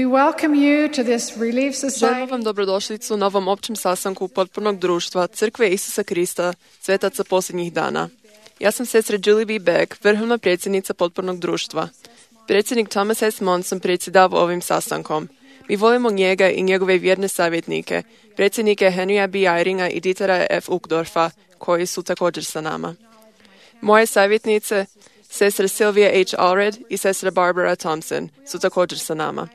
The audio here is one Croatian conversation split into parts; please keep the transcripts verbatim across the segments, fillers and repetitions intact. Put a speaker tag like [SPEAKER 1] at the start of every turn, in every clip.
[SPEAKER 1] welcome you to this Relief
[SPEAKER 2] Želimo
[SPEAKER 1] Society.
[SPEAKER 2] vam dobrodošlicu na ovom općem sastanku potpornog društva Crkve Isusa Krista, svetaca posljednjih dana. Ja sam sestra Julie B. Beck, vrhovna predsjednica potpornog društva. Predsjednik Thomas S. Monson predsjedava ovim sastankom. Mi volimo njega i njegove vjerne savjetnike, predsjednike Henrya B. Eyringa i Dietera F. Uchtdorfa, koji su također sa nama. Moje savjetnice, sestra Sylvia H. Allred i sestra Barbara Thompson, su također sa nama.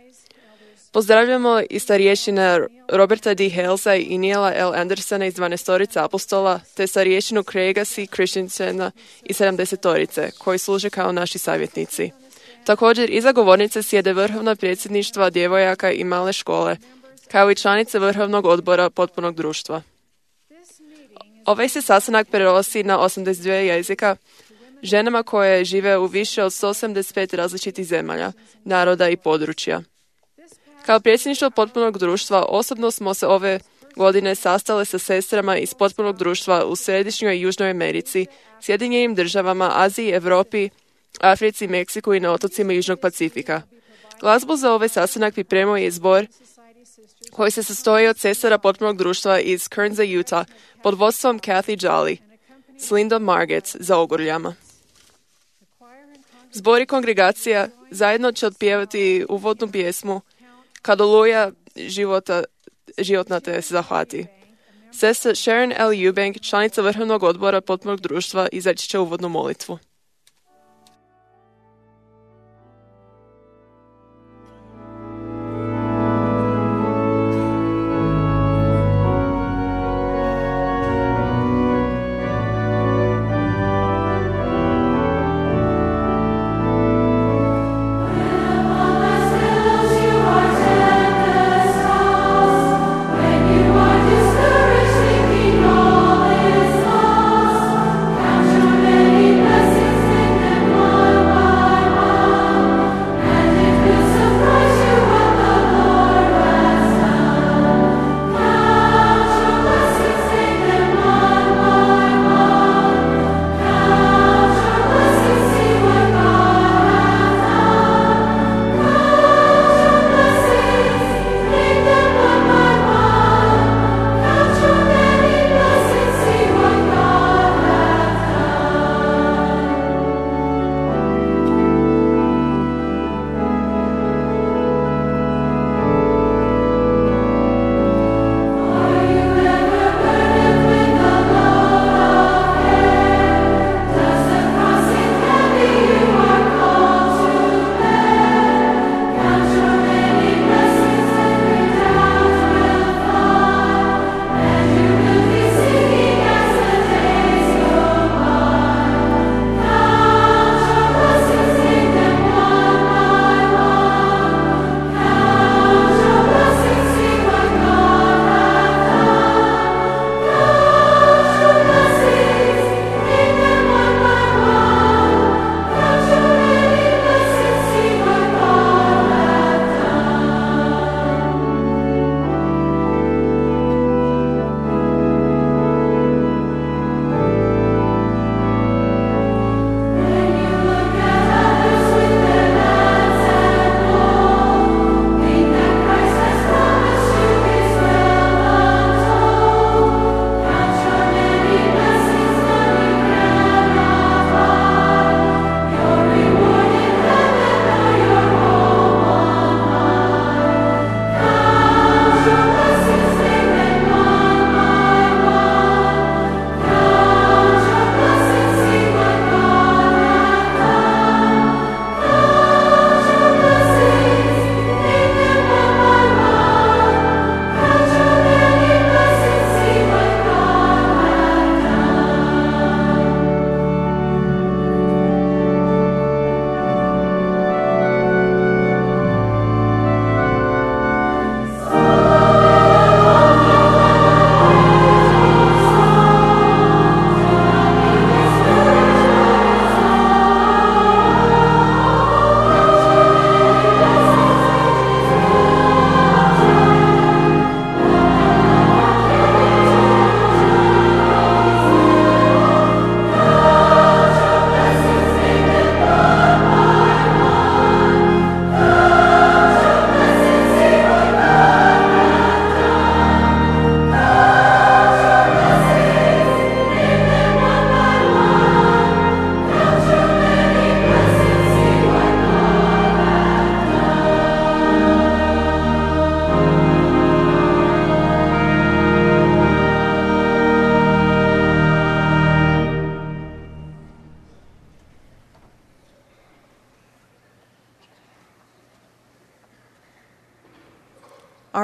[SPEAKER 2] Pozdravljamo i starješina Roberta D. Halesa i Neila L. Andersona iz dvanaestorice apostola, te starješinu Craiga C. Christensena i sedamdesetorice, koji služe kao naši savjetnici. Također, iza govornice sjede vrhovna predsjedništva djevojaka i male škole, kao i članice vrhovnog odbora potpornog društva. Ovaj se sastanak prenosi na osamdeset dva jezika ženama koje žive u više od sto osamdeset pet različitih zemalja, naroda i područja. Kao predsjedništvo potpornog društva osobno smo se ove godine sastale sa sestrama iz potpornog društva u Središnjoj i Južnoj Americi, Sjedinjenim državama, Aziji, Europi, Africi, Meksiku i na otocima Južnog Pacifika. Glazbu za ovaj sastanak pripremio je zbor koji se sastoji od sestara potpornog društva iz Kernza, Utah, pod vodstvom Kathy Jolly, s Lindom Margetts za ogorljama. Zbor i kongregacija zajedno će otpjevati uvodnu pjesmu Kad oluja života, životna te zahvati. Sestra Sharon L. Eubank, članica vrhovnog odbora potpornog društva, izaći će uvodnu molitvu.
[SPEAKER 3] Count your many blessings.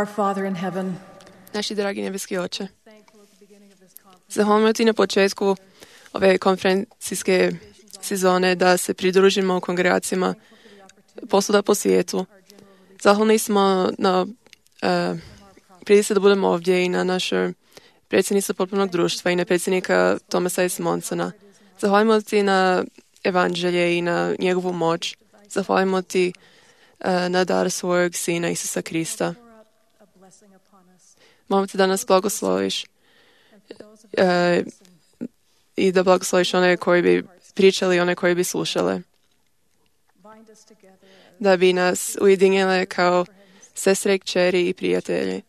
[SPEAKER 1] Our Father in heaven,
[SPEAKER 2] Naši dragi nebeski oče, zahvaljujemo ti na početku ove konferencijske sezone da se pridružimo u kongregacijama posvuda po svijetu. Zahvalni smo na uh, prilici da budemo ovdje i na našoj predsjednicu potpunog društva i na predsjednika Thomasa S. Monsona. Zahvaljujemo ti na evanđelje i na njegovu moć. Zahvaljujemo ti uh, na dar svojeg sina Isusa Krista. Molim te da nas blagosloviš uh, i da blagosloviš one koji bi pričali i one koji bi slušale. Da bi nas ujedinjile kao sestre, kćeri i prijatelji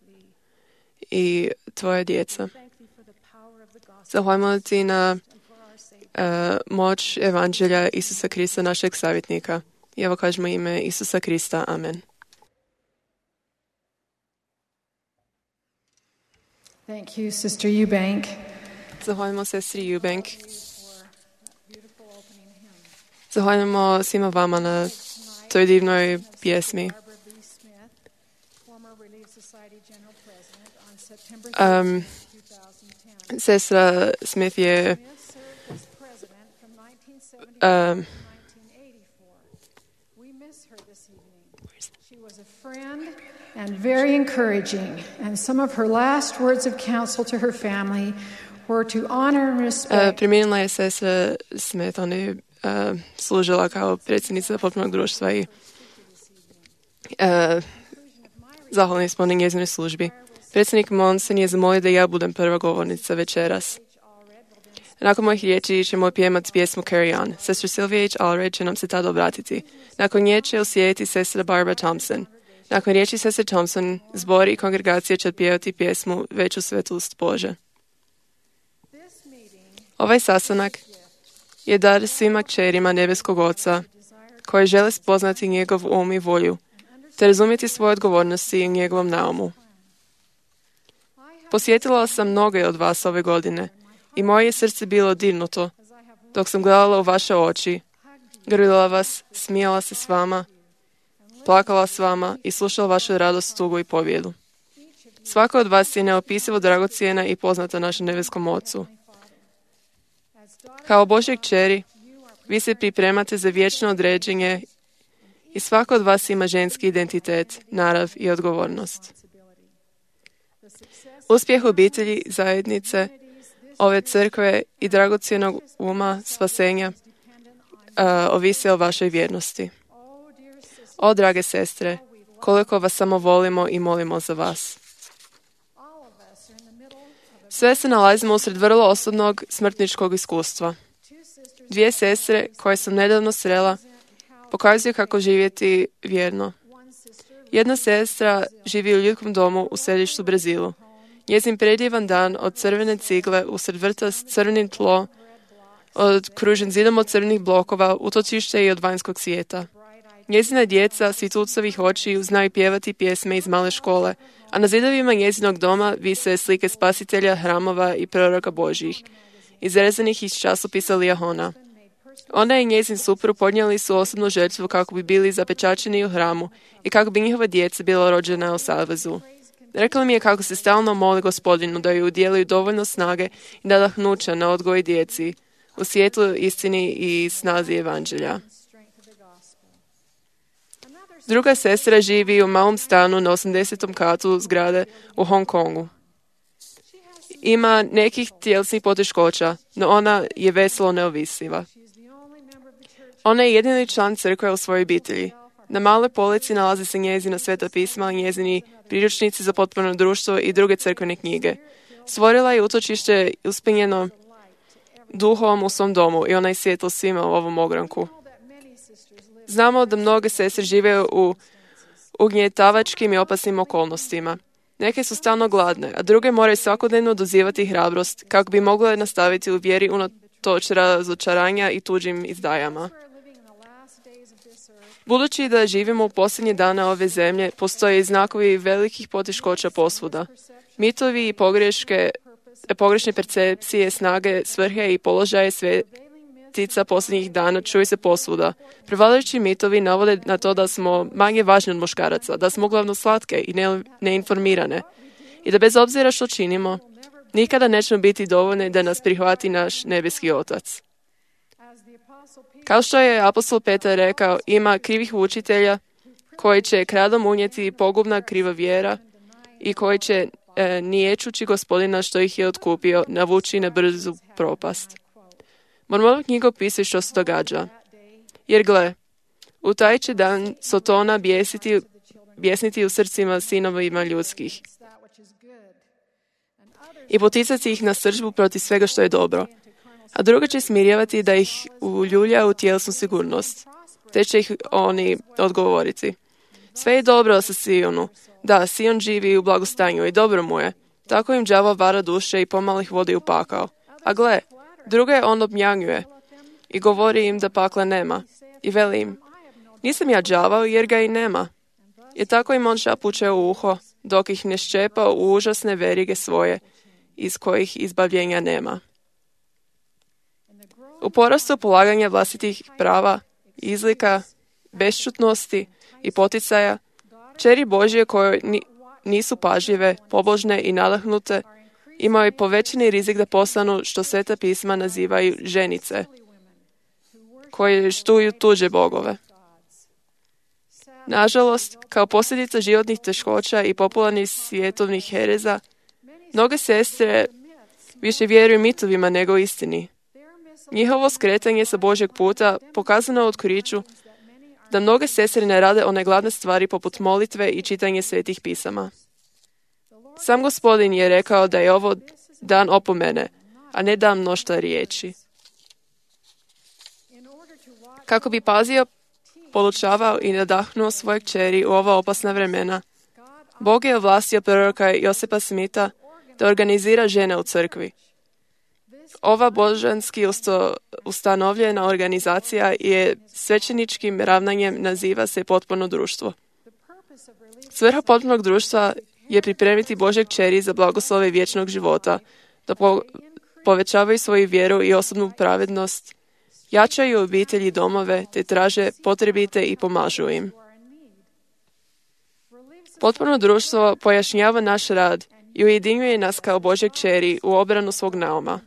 [SPEAKER 2] i tvoje djeca. Zahvaljujemo ti na uh, moć evanđelja Isusa Krista, našeg savjetnika. I evo kažemo ime Isusa Krista. Amen.
[SPEAKER 1] thank you, Sister Eubank.
[SPEAKER 2] Zahvaljujemo sestri Eubank. Zahvaljujemo svima vama na toj divnoj pjesmi. Um, sestra Smith je um,
[SPEAKER 1] and very encouraging, and some of her last words of counsel to her family were to honor and
[SPEAKER 2] uh,
[SPEAKER 1] respect.
[SPEAKER 2] Preminula je sestra Smith, ona je uh, služila kao predsjednica potpunog društva i uh, zahvalni smo na njezinoj službi. Predsjednik Monson je zamolio da ja budem prva govornica večeras. Nakon mojih riječi ćemo pjevati pjesmu Carry On. Sestra Sylvia H. Allred će nam se tada obratiti. Nakon nje će uslijediti sestra Barbara Thompson. Nakon riječi sestre Thompson, zbor i kongregacija će pjevati pjesmu Veću svetost Bože. Ovaj sastanak je dar svima kćerima nebeskog Oca koji žele spoznati njegov um i volju te razumjeti svoje odgovornosti i njegovom naumu. Posjetila sam mnoge od vas ove godine i moje je srce bilo dirnuto dok sam gledala u vaše oči, grlila vas, smijala se s vama, plakala s vama i slušala vašu radost, tugu i pobjedu. Svaka od vas je neopisivo dragocjena i poznata našem nebeskom Ocu. Kao Božje kćeri, vi se pripremate za vječno određenje i svaka od vas ima ženski identitet, narav i odgovornost. Uspjeh obitelji, zajednice, ove crkve i dragocjenog uma, spasenja uh, ovise o vašoj vjernosti. O, drage sestre, koliko vas samo volimo i molimo za vas. Sve se nalazimo usred vrlo osobnog smrtničkog iskustva. Dvije sestre koje sam nedavno srela pokazuju kako živjeti vjerno. Jedna sestra živi u ljudskom domu u središtu Brazilu. Njezin predjevan dan od crvene cigle usred vrta s crvenim tlo, okružen zidom od crvenih blokova, utočište i od vanjskog svijeta. Njezina djeca svitucovih očiju znaju pjevati pjesme iz male škole, a na zidovima njezinog doma vise slike spasitelja, hramova i proroka Božjih, izrezanih iz časopisa Lijahona. Ona i njezin suprug podnijeli su osobnu žrtvu kako bi bili zapečaćeni u hramu i kako bi njihova djeca bila rođena u savezu. Rekla mi je kako se stalno moli Gospodinu da joj udijeli dovoljno snage i nadahnuća na odgoj djeci u svijetlu, istini i snazi evanđelja. Druga sestra živi u malom stanu na osamdesetom katu zgrade u Hong Kongu. Ima nekih tjelesnih poteškoća, no ona je veselo neovisiva. Ona je jedini član crkve u svojoj obitelji. Na maloj polici nalazi se njezina sveta pisma, njezini priručnici za potpuno društvo i druge crkvene knjige. Stvorila je utočište uspjenjeno duhom u svom domu i ona je svjetlo svima u ovom ogranku. Znamo da mnoge sestre žive u ugnjetavačkim i opasnim okolnostima. Neke su stalno gladne, a druge moraju svakodnevno dozivati hrabrost kako bi mogle nastaviti u vjeri unatoč razočaranja i tuđim izdajama. Budući da živimo u posljednje dane ove zemlje, postoje i znakovi velikih poteškoća posvuda. Mitovi i pogreške, pogrešne percepcije, snage, svrhe i položaje sve, profetica posljednjih dana čuju se posvuda. Prevladajući mitovi navode na to da smo manje važni od muškaraca, da smo uglavnom slatke i ne, neinformirane i da bez obzira što činimo, nikada nećemo biti dovoljni da nas prihvati naš nebeski Otac. Kao što je apostol Petar rekao, ima krivih učitelja koji će kradom unijeti pogubna kriva vjera i koji će e, niječući Gospodina što ih je otkupio navući na brzu propast. Mormonova knjiga opisuje što se događa. Jer gle, u taj će dan Sotona bijesiti, bijesniti u srcima sinovima ljudskih i poticati ih na sržbu protiv svega što je dobro. A druga će smirjavati da ih uljulja u tjelesnu sigurnost, te će ih oni odgovoriti. Sve je dobro sa Sionu. Da, Sion živi u blagostanju i dobro mu je. Tako im đavo vara duše i pomalo ih vodi u pakao. A gle, druge on obnjanjuje i govori im da pakla nema. I veli im, nisam ja đavao jer ga i nema. I tako im on šapuće u uho, dok ih ne ščepa u užasne verige svoje, iz kojih izbavljenja nema. U porastu polaganja vlastitih prava, izlika, bešćutnosti i poticaja, čeri Božje koje nisu pažljive, pobožne i nadahnute, imaju povećani rizik da postanu što Sveta pisma nazivaju ženice, koje štuju tuđe bogove. Nažalost, kao posljedica životnih teškoća i popularnih svjetovnih hereza, mnoge sestre više vjeruju mitovima nego istini. Njihovo skretanje sa Božjeg puta pokazano u otkriću da mnoge sestre ne rade one glavne stvari poput molitve i čitanje svetih pisama. Sam Gospodin je rekao da je ovo dan opomene, a ne dan mnoštva riječi. Kako bi pazio, polučavao i nadahnuo svoje kćeri u ova opasna vremena, Bog je ovlastio proroka Josipa Smitha da organizira žene u crkvi. Ova božanski usto, ustanovljena organizacija je svećeničkim ravnanjem naziva se potpuno društvo. Svrha potpunog društva je pripremiti Božje kćeri za blagoslove vječnog života, da po, povećavaju svoju vjeru i osobnu pravednost, jačaju obitelji i domove, te traže potrebite i pomažu im. Potpuno društvo pojašnjava naš rad i ujedinjuje nas kao Božje kćeri u obranu svog nauma.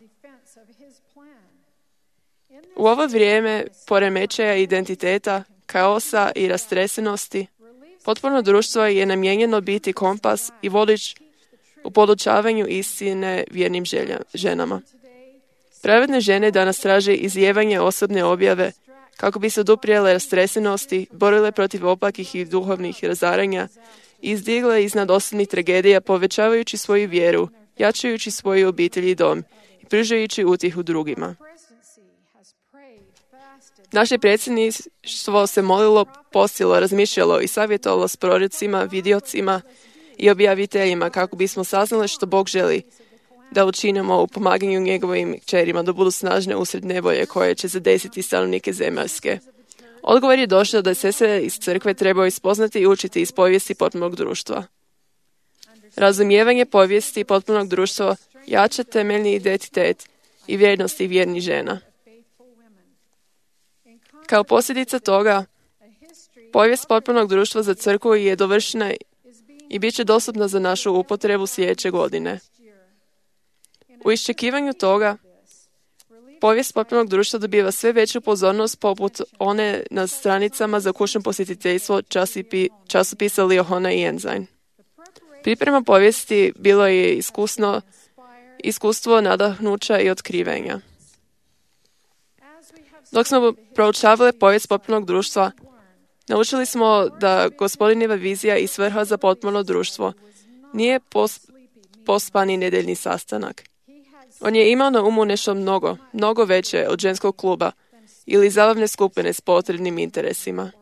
[SPEAKER 2] U ovo vrijeme poremećaja identiteta, kaosa i rastresenosti, potpuno društvo je namijenjeno biti kompas i vodič u podučavanju istine vjernim želja, ženama. Pravedne žene danas traže izlijevanje osobne objave kako bi se oduprijele rastresenosti, borile protiv opakih i duhovnih razaranja i izdigle iznad osobnih tragedija povećavajući svoju vjeru, jačajući svoju obitelj i dom i pružajući utjehu drugima. Naše predsjedništvo se molilo, postilo, razmišljalo i savjetovalo s prorocima, vidiocima i objaviteljima kako bismo saznali što Bog želi da učinimo u pomaganju njegovim kćerima da budu snažne usred nevolje koje će zadesiti stanovnike zemaljske. Odgovor je došao da sestre iz crkve trebaju ispoznati i učiti iz povijesti potpunog društva. Razumijevanje povijesti potpunog društva jača temeljni identitet i vrijednosti vjernih žena. Kao posljedica toga, povijest potpunog društva za crkvu je dovršena i bit će dostupna za našu upotrebu sljedeće godine. U iščekivanju toga, povijest potpunog društva dobiva sve veću pozornost poput one na stranicama za kućno posjetiteljstvo časopisa Liahona i Ensign. Priprema povijesti bilo je iskusno, iskustvo nadahnuća i otkrivenja. Dok smo proučavali povijest potpunog društva, naučili smo da Gospodinjeva vizija i svrha za potpuno društvo nije pos, pospani nedeljni sastanak. On je imao na umu nešto mnogo, mnogo veće od ženskog kluba ili zabavne skupine s potrebnim interesima.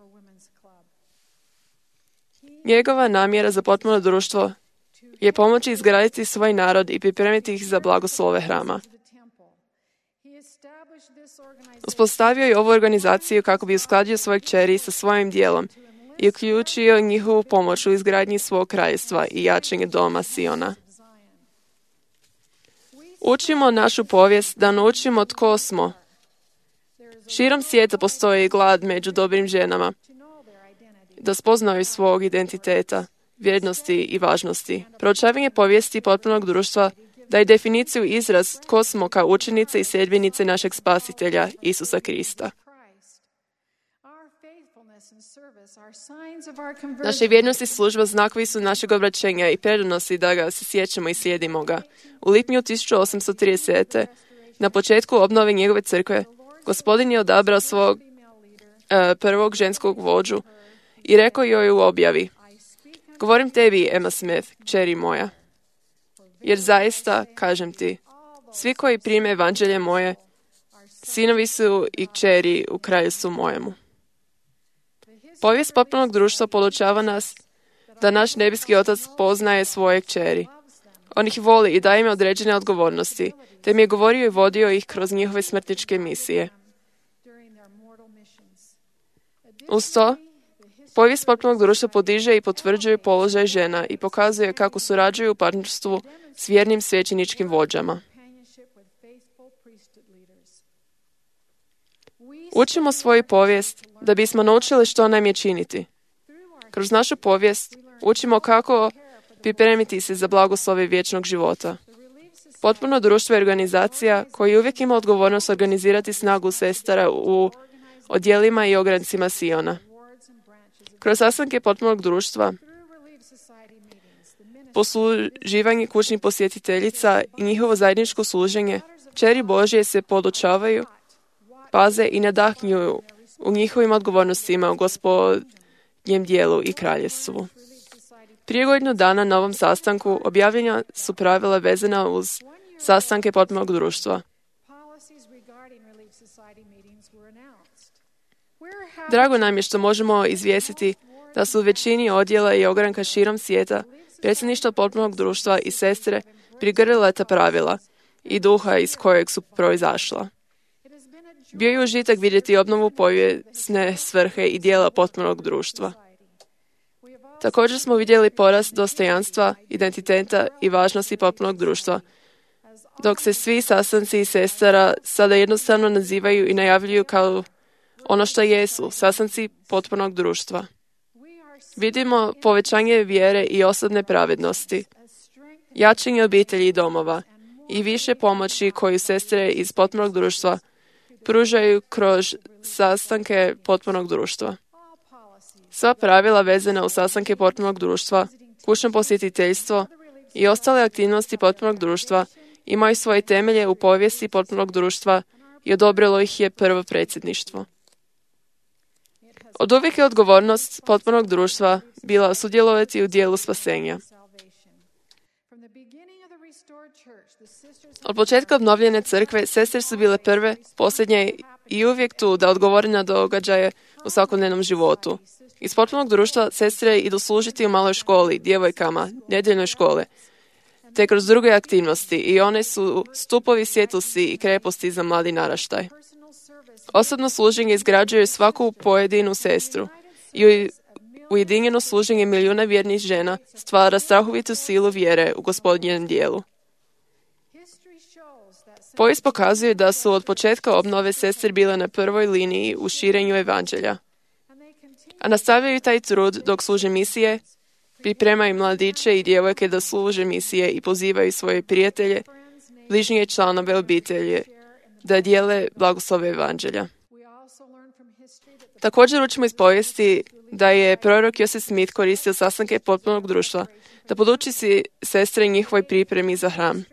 [SPEAKER 2] Njegova namjera za potpuno društvo je pomoći izgraditi svoj narod i pripremiti ih za blagoslove hrama. Uspostavio je ovu organizaciju kako bi uskladio svoje kćeri sa svojim dijelom i uključio njihovu pomoć u izgradnji svog kraljevstva i jačanje doma Siona. Učimo našu povijest da naučimo tko smo Širom svijeta postoji glad među dobrim ženama da spoznaju svog identiteta, vrijednosti i važnosti. Proučavanje povijesti potpunog društva daje definiciju izraz tko smo kao učenice i sljedbenice našeg spasitelja, Isusa Krista. Naše vjernosti služba znakovi su našeg obraćenja i predanosti da ga se sjećamo i slijedimo ga. U lipnju tisuću osamsto tridesete. na početku obnove njegove crkve, Gospodin je odabrao svog uh, prvog ženskog vođu i rekao joj u objavi: govorim tebi, Emma Smith, kćeri moja, jer zaista, kažem ti, svi koji prime evanđelje moje, sinovi su i kćeri u kraljevstvu mojemu. Povijest potpunog društva podučava nas da naš nebeski Otac poznaje svoje kćeri. On ih voli i daje im određene odgovornosti, te im je govorio i vodio ih kroz njihove smrtničke misije. Uz to, povijest potpunog društva podiže i potvrđuje položaj žena i pokazuje kako surađuju u partnerstvu s vjernim svećeničkim vođama. Učimo svoju povijest da bismo naučili što nam je činiti. Kroz našu povijest učimo kako pripremiti se za blagoslove vječnog života. Potpuno društvo je organizacija koja uvijek ima odgovornost organizirati snagu sestara u odjelima i ograncima Siona. Kroz sastanke potpunog društva, posluživanje kućnih posjetiteljica i njihovo zajedničko služenje, kćeri Božje se podučavaju, paze i nadahnjuju u njihovim odgovornostima u Gospodnjem dijelu i kraljevstvu. Prije godinu dana na ovom sastanku objavljena su pravila vezana uz sastanke potpunog društva. Drago nam je što možemo izvijestiti da su u većini odjela i ogranka širom svijeta predsjedništvo potpunog društva i sestre prigrlile ta pravila i duha iz kojeg su proizašla. Bio je užitak vidjeti obnovu povijesne svrhe i dijela potpunog društva. Također smo vidjeli porast dostojanstva, identiteta i važnosti potpunog društva, dok se svi sastanci i sestara sada jednostavno nazivaju i najavljuju kao ono što jesu, sastanci potpunog društva. Vidimo povećanje vjere i osobne pravednosti, jačanje obitelji i domova i više pomoći koju sestre iz potpunog društva pružaju kroz sastanke potpunog društva. Sva pravila vezana u sastanke potpunog društva, kućno posjetiteljstvo i ostale aktivnosti potpunog društva imaju svoje temelje u povijesti potpunog društva i odobrilo ih je prvo predsjedništvo. Od uvijek je odgovornost potpunog društva bila sudjelovati u dijelu spasenja. Od početka obnovljene crkve, sestre su bile prve, posljednje i uvijek tu da odgovore na događaje u svakodnevnom životu. Iz potpunog društva sestre idu služiti u maloj školi, djevojkama, nedjeljnoj škole, te kroz druge aktivnosti i one su stupovi svjetlosti i kreposti za mladi naraštaj. Osobno služenje izgrađuje svaku pojedinu sestru i ujedinjeno služenje milijuna vjernih žena stvara strahovitu silu vjere u Gospodnjem dijelu. Povijest pokazuje da su od početka obnove sestre bile na prvoj liniji u širenju evanđelja, a nastavljaju taj trud dok služe misije, pripremaju mladiće i djevojke da služe misije i pozivaju svoje prijatelje, bližnje članove obitelji da dijele blagoslove evanđelja. Također učimo iz povijesti da je prorok Joseph Smith koristio sastanke potpunog društva da poduči si sestre njihovoj pripremi za hram.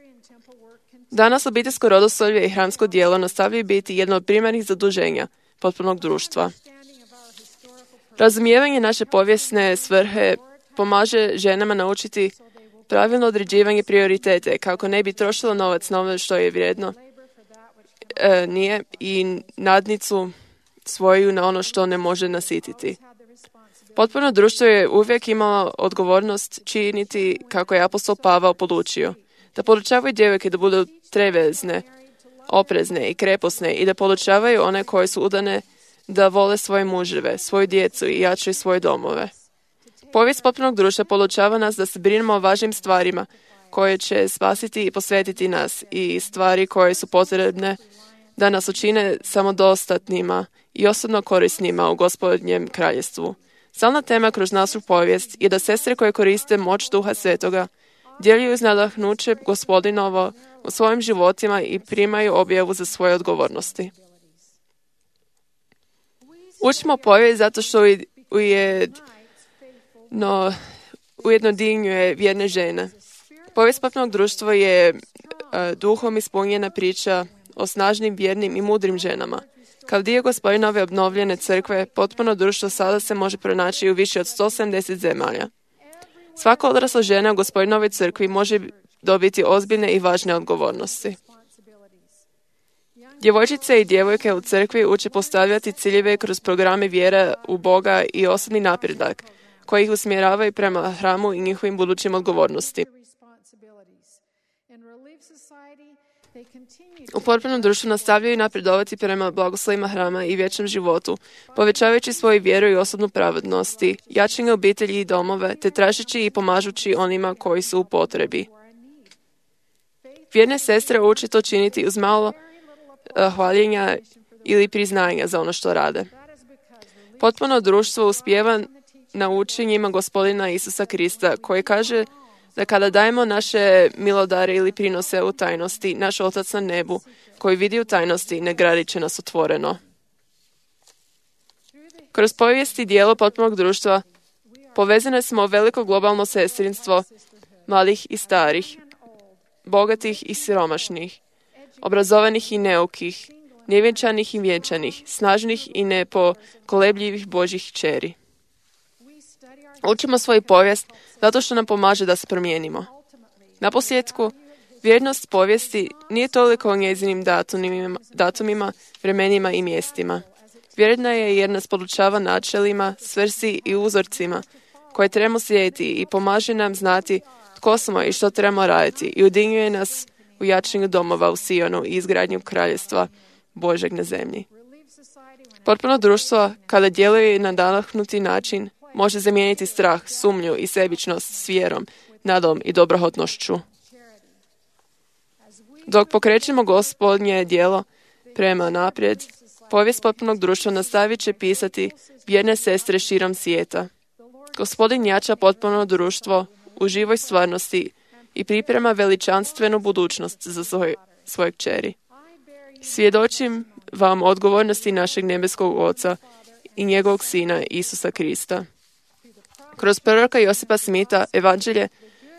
[SPEAKER 2] Danas obiteljsko rodoslovlje i hramsko djelo nastavljaju biti jedno od primarnih zaduženja potpunog društva. Razumijevanje naše povijesne svrhe pomaže ženama naučiti pravilno određivanje prioritete kako ne bi trošilo novac na ono što je vrijedno e, nije i nadnicu svoju na ono što ne može nasititi. Potpuno društvo je uvijek imalo odgovornost činiti kako je apostol Pavao podučio, da podučavaju djevojke da budu trevezne, oprezne i kreposne i da podučavaju one koje su udane da vole svoje muževe, svoju djecu i jačaju svoje domove. Povijest potpunog društva podučava nas da se brinemo o važnim stvarima koje će spasiti i posvetiti nas i stvari koje su potrebne da nas učine samodostatnima i osobno korisnima u Gospodnjem kraljestvu. Stalna tema kroz našu povijest je da sestre koje koriste moć Duha Svetoga djeljuju uz nadahnuće Gospodinovo u svojim životima i primaju objavu za svoje odgovornosti. Učimo povijest zato što ujedno, ujedno dignjuje vjerne žene. Povijest popnog društva je uh, duhom ispunjena priča o snažnim, vjernim i mudrim ženama. Kao dio Gospodinove obnovljene crkve, potpuno društvo sada se može pronaći u više od sto sedamdeset zemalja. Svaka odrasla žena u Gospodinovoj crkvi može dobiti ozbiljne i važne odgovornosti. Djevojčice i djevojke u crkvi uče postavljati ciljeve kroz programe vjere u Boga i osobni napredak, koji ih usmjeravaju prema hramu i njihovim budućim odgovornosti. U potpunom društvu nastavljaju napredovati prema blagoslovima hrama i vječnom životu, povećavajući svoju vjeru i osobnu pravednosti, jačanje obitelji i domove, te tražeći i pomažući onima koji su u potrebi. Vjerne sestre uče to činiti uz malo uh, hvaljenja ili priznanja za ono što rade. Potpuno društvo uspijeva na učenjima Gospodina Isusa Krista, koji kaže da kada dajemo naše milodare ili prinose u tajnosti, naš Otac na nebu, koji vidi u tajnosti, nagradit će nas otvoreno. Kroz povijest i dijelo potpunog društva povezane smo u veliko globalno sestrinstvo mladih i starih, bogatih i siromašnih, obrazovanih i neukih, nevjenčanih i vjenčanih, snažnih i nepokolebljivih Božjih kćeri. Učimo svoju povijest zato što nam pomaže da se promijenimo. Naposljetku, vjernost povijesti nije toliko o njezinim datumima, datumima, vremenima i mjestima. Vjerna je jer nas podučava načelima, svrsi i uzorcima koje trebamo slijediti i pomaže nam znati tko smo i što trebamo raditi i udinjuje nas u jačanju domova u Sionu i izgradnju kraljestva Božeg na zemlji. Potpuno društvo, kada djeluje na nadahnuti način, može zamijeniti strah, sumnju i sebičnost s vjerom, nadom i dobrohotnošću. Dok pokrećemo Gospodnje djelo prema naprijed, povijest potpunog društva nastavit će pisati vjerne sestre širom svijeta. Gospodin jača potpuno društvo u živoj stvarnosti i priprema veličanstvenu budućnost za svoj, svoje kćeri. Svjedočim vam odgovornosti našeg nebeskog Oca i njegovog Sina Isusa Krista. Kroz proroka Josipa Smitha, evanđelje,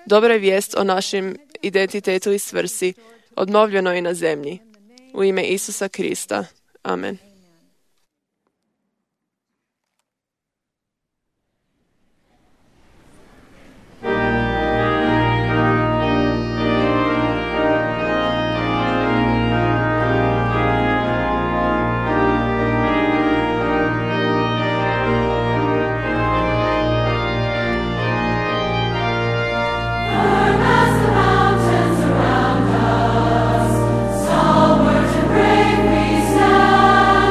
[SPEAKER 2] dobra je vijest o našem identitetu i svrsi, obnovljeno je na zemlji. U ime Isusa Krista. Amen.
[SPEAKER 3] Stalwart and brave we stand.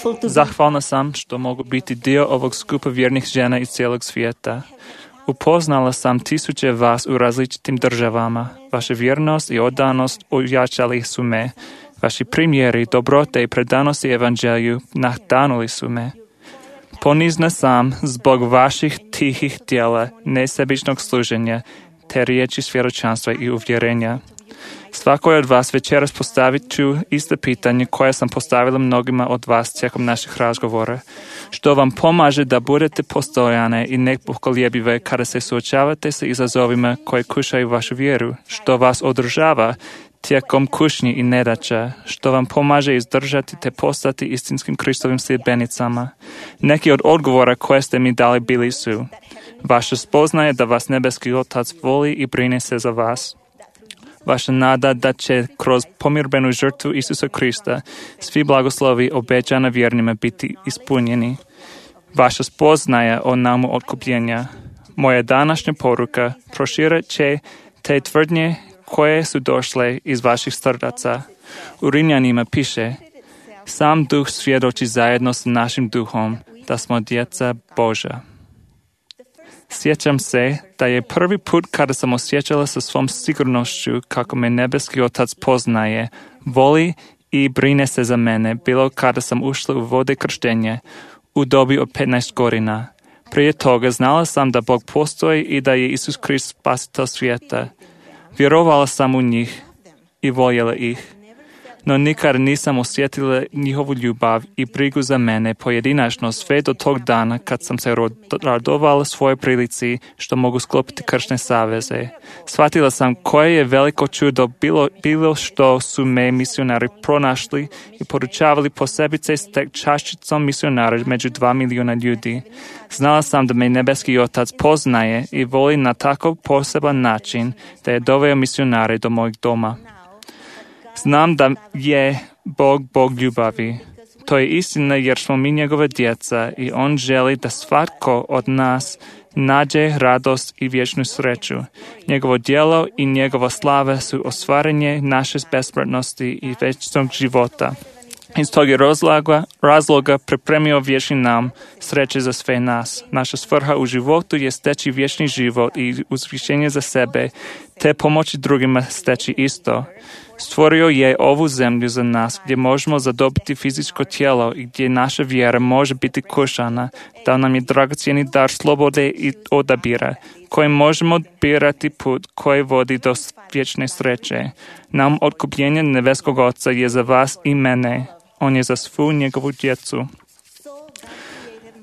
[SPEAKER 3] grateful to be
[SPEAKER 4] Zahvalna sam što mogu biti dio ovog skupa vjernih žena iz cijelog svijeta. Upoznala sam tisuće vas u različitim državama. Vaša vjernost i odanost ojačali su me. Vaši primjeri, dobrote i predanosti evanđelju nahtanuli su me. Ponizna sam zbog vaših tihih djela, nesebičnog služenja, te riječi svjedočanstva i uvjerenja. Svakoj od vas večeras postavit ću isto pitanje koje sam postavila mnogima od vas tijekom naših razgovora. Što vam pomaže da budete postojane i nepokoljebive kada se suočavate sa izazovima koji kušaju vašu vjeru? Što vas održava tijekom kušnji i nedaća? Što vam pomaže izdržati te postati istinskim Kristovim sljedbenicama? Neki od odgovora koje ste mi dali bili su: vaša spoznaje da vas nebeski Otac voli i brine se za vas. Vaša nada da će kroz pomirbenu žrtvu Isusa Krista svi blagoslovi obećana vjernima biti ispunjeni. Vaša spoznaja o namu otkupljenja. Moja današnja poruka proširat će te tvrdnje koje su došle iz vaših srdaca. U Rimljanima piše: sam duh svjedoči zajedno s našim duhom da smo djeca Božja. Sjećam se da je prvi put kada sam osjećala sa svom sigurnošću kako me nebeski Otac poznaje, voli i brine se za mene, bilo kada sam ušla u vode krštenja u dobi od petnaest godina. Prije toga znala sam da Bog postoji i da je Isus Krist spasitelj svijeta. Vjerovala sam u njih i voljela ih, no nikad nisam osjetila njihovu ljubav i brigu za mene pojedinačno sve do tog dana kad sam se radovala svojoj prilici što mogu sklopiti kršne saveze. Shvatila sam koje je veliko čudo bilo, bilo što su me misionari pronašli i poručavali posebice s tek čaščicom misionara među dva milijuna ljudi. Znala sam da me nebeski Otac poznaje i voli na tako poseban način da je doveo misionare do mojeg doma. Znam da je Bog Bog ljubavi. To je istina jer smo mi njegove djeca i on želi da svatko od nas nađe radost i vječnu sreću. Njegovo djelo i njegova slava su ostvarenje naše besmrtnosti i vječnog života. Iz tog je razloga, razloga pripremio vječni nam sreće za sve nas. Naša svrha u životu je steći vječni život i uzvišenje za sebe, te pomoći drugima steći isto. Stvorio je ovu zemlju za nas gdje možemo zadobiti fizičko tijelo i gdje naša vjera može biti kušana, da nam je dragocjeni dar slobode i odabira, kojim možemo birati put koji vodi do vječne sreće. Nam otkupljenje nebeskog Oca je za vas i mene. On je za svu njegovu djecu.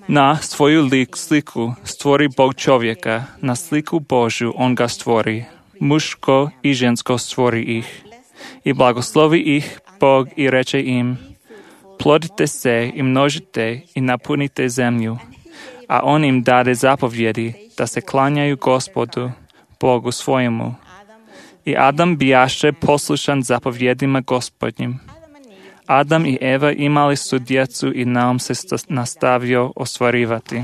[SPEAKER 4] Na svoju lik sliku stvori Bog čovjeka, na sliku Božju on ga stvori. Muško i žensko stvori ih. I blagoslovi ih Bog i reče im: plodite se i množite i napunite zemlju. A on im dade zapovjedi da se klanjaju Gospodu, Bogu svojemu. I Adam bijaše poslušan zapovjedima Gospodnjim. Adam i Eva imali su djecu i naum se nastavio ostvarivati.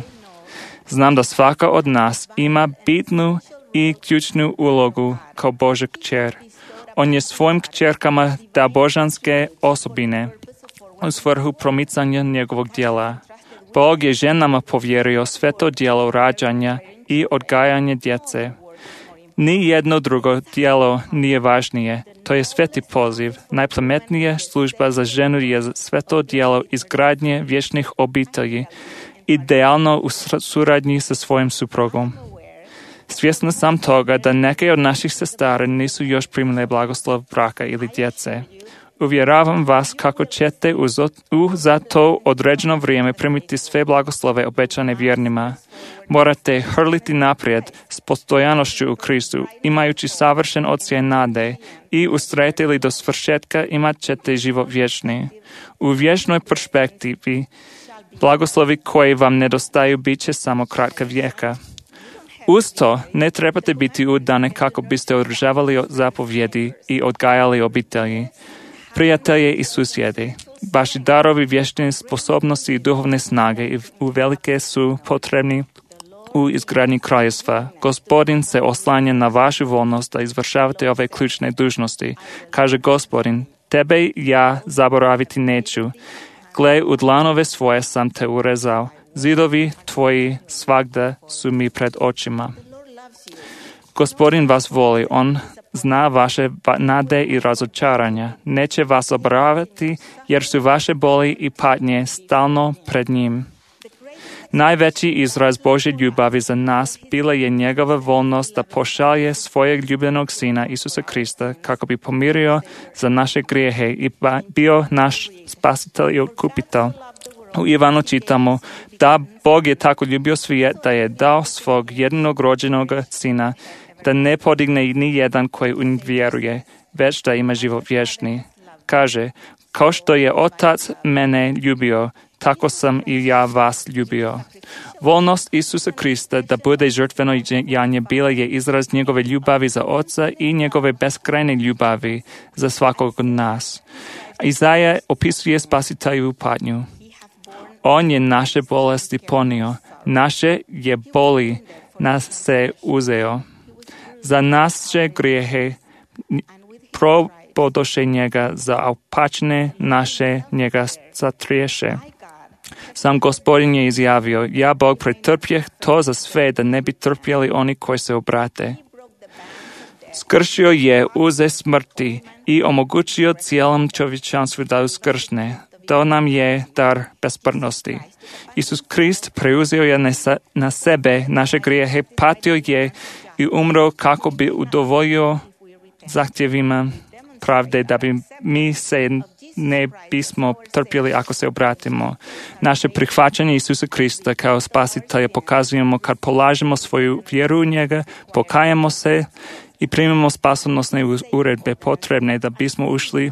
[SPEAKER 4] Znam da svaka od nas ima bitnu i ključnu ulogu kao Božja kćer. On je svojim kćerkama da božanske osobine u svrhu promicanja njegovog djela. Bog je ženama povjerio sve to djelo rađanja i odgajanja djece. Ni jedno drugo djelo nije važnije. To je sveti poziv. Najplemetnija služba za ženu je sve to djelo izgradnje vječnih obitelji, idealno u suradnji sa svojim suprugom. Svjesna sam toga da neke od naših sestara nisu još primile blagoslov braka ili djece. Uvjeravam vas kako ćete u za to određeno vrijeme primiti sve blagoslove obećane vjernima. Morate hrliti naprijed s postojanošću u Kristu, imajući savršen odsjaj nade i ustrajete do svršetka imat ćete život vječni. U vječnoj perspektivi blagoslovi koji vam nedostaju bit će samo kratka vijeka. Uz to ne trebate biti udane kako biste održavali zapovjedi i odgajali obitelji, prijatelje i susjedi. Vaši darovi vječne sposobnosti i duhovne snage uvelike su potrebni u izgradnji kraljevstva. Gospodin se oslanja na vašu volnost da izvršavate ove ključne dužnosti. Kaže Gospodin: tebe ja zaboraviti neću. Gle, u dlanove svoje sam te urezao. Zidovi tvoji svagda su mi pred očima. Gospodin vas voli, on zna vaše nade i razočaranja. Neće vas obravati, jer su vaše boli i patnje stalno pred njim. Najveći izraz Božje ljubavi za nas bila je njegova volnost da pošalje svojeg ljubljenog sina Isusa Krista kako bi pomirio za naše grijehe i bio naš spasitelj i otkupitelj. U Ivanu čitamo da Bog je tako ljubio svijet da je dao svog jedinog rođenog sina, da ne podigne ni jedan koji u njega vjeruje, već da ima život vječni. Kaže, kao što je Otac mene ljubio, tako sam i ja vas ljubio. Volnost Isusa Krista da bude žrtveno janje bila je izraz njegove ljubavi za Oca i njegove beskrajne ljubavi za svakog od nas. Izaja opisuje spasitelju patnju. On je naše bolesti ponio, naše je boli nas se uzeo. Za naše grijehe probodoše njega, za opačne naše njega satriješe. Sam Gospodin je izjavio, ja Bog pretrpjeh to za sve da ne bi trpjeli oni koji se obrate. Skršio je uze smrti i omogućio cijelom čovječanstvu da uskršne. To nam je dar besmrtnosti. Isus Krist preuzeo je na sebe naše grijehe, patio je i umro kako bi udovoljio zahtjevima pravde da bi mi se ne bismo trpjeli ako se obratimo. Naše prihvaćanje Isusa Krista kao spasitelja pokazujemo kad polažemo svoju vjeru u njega, pokajamo se i primimo spasonosne uredbe potrebne da bismo ušli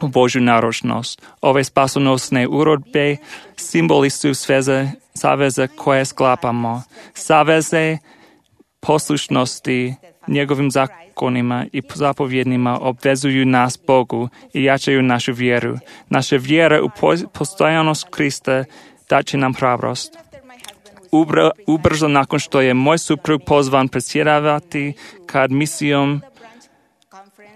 [SPEAKER 4] u Božju naročnost. Ove spasonosne uredbe simboli su sveze, saveze koje sklapamo. Saveze poslušnosti njegovim zakonima i zapovjednima obvezuju nas Bogu i jačaju našu vjeru. Naša vjera u postojanost Krista daće nam hrabrost. Ubr- ubrzo nakon što je moj suprug pozvan predsjedavati kad misijom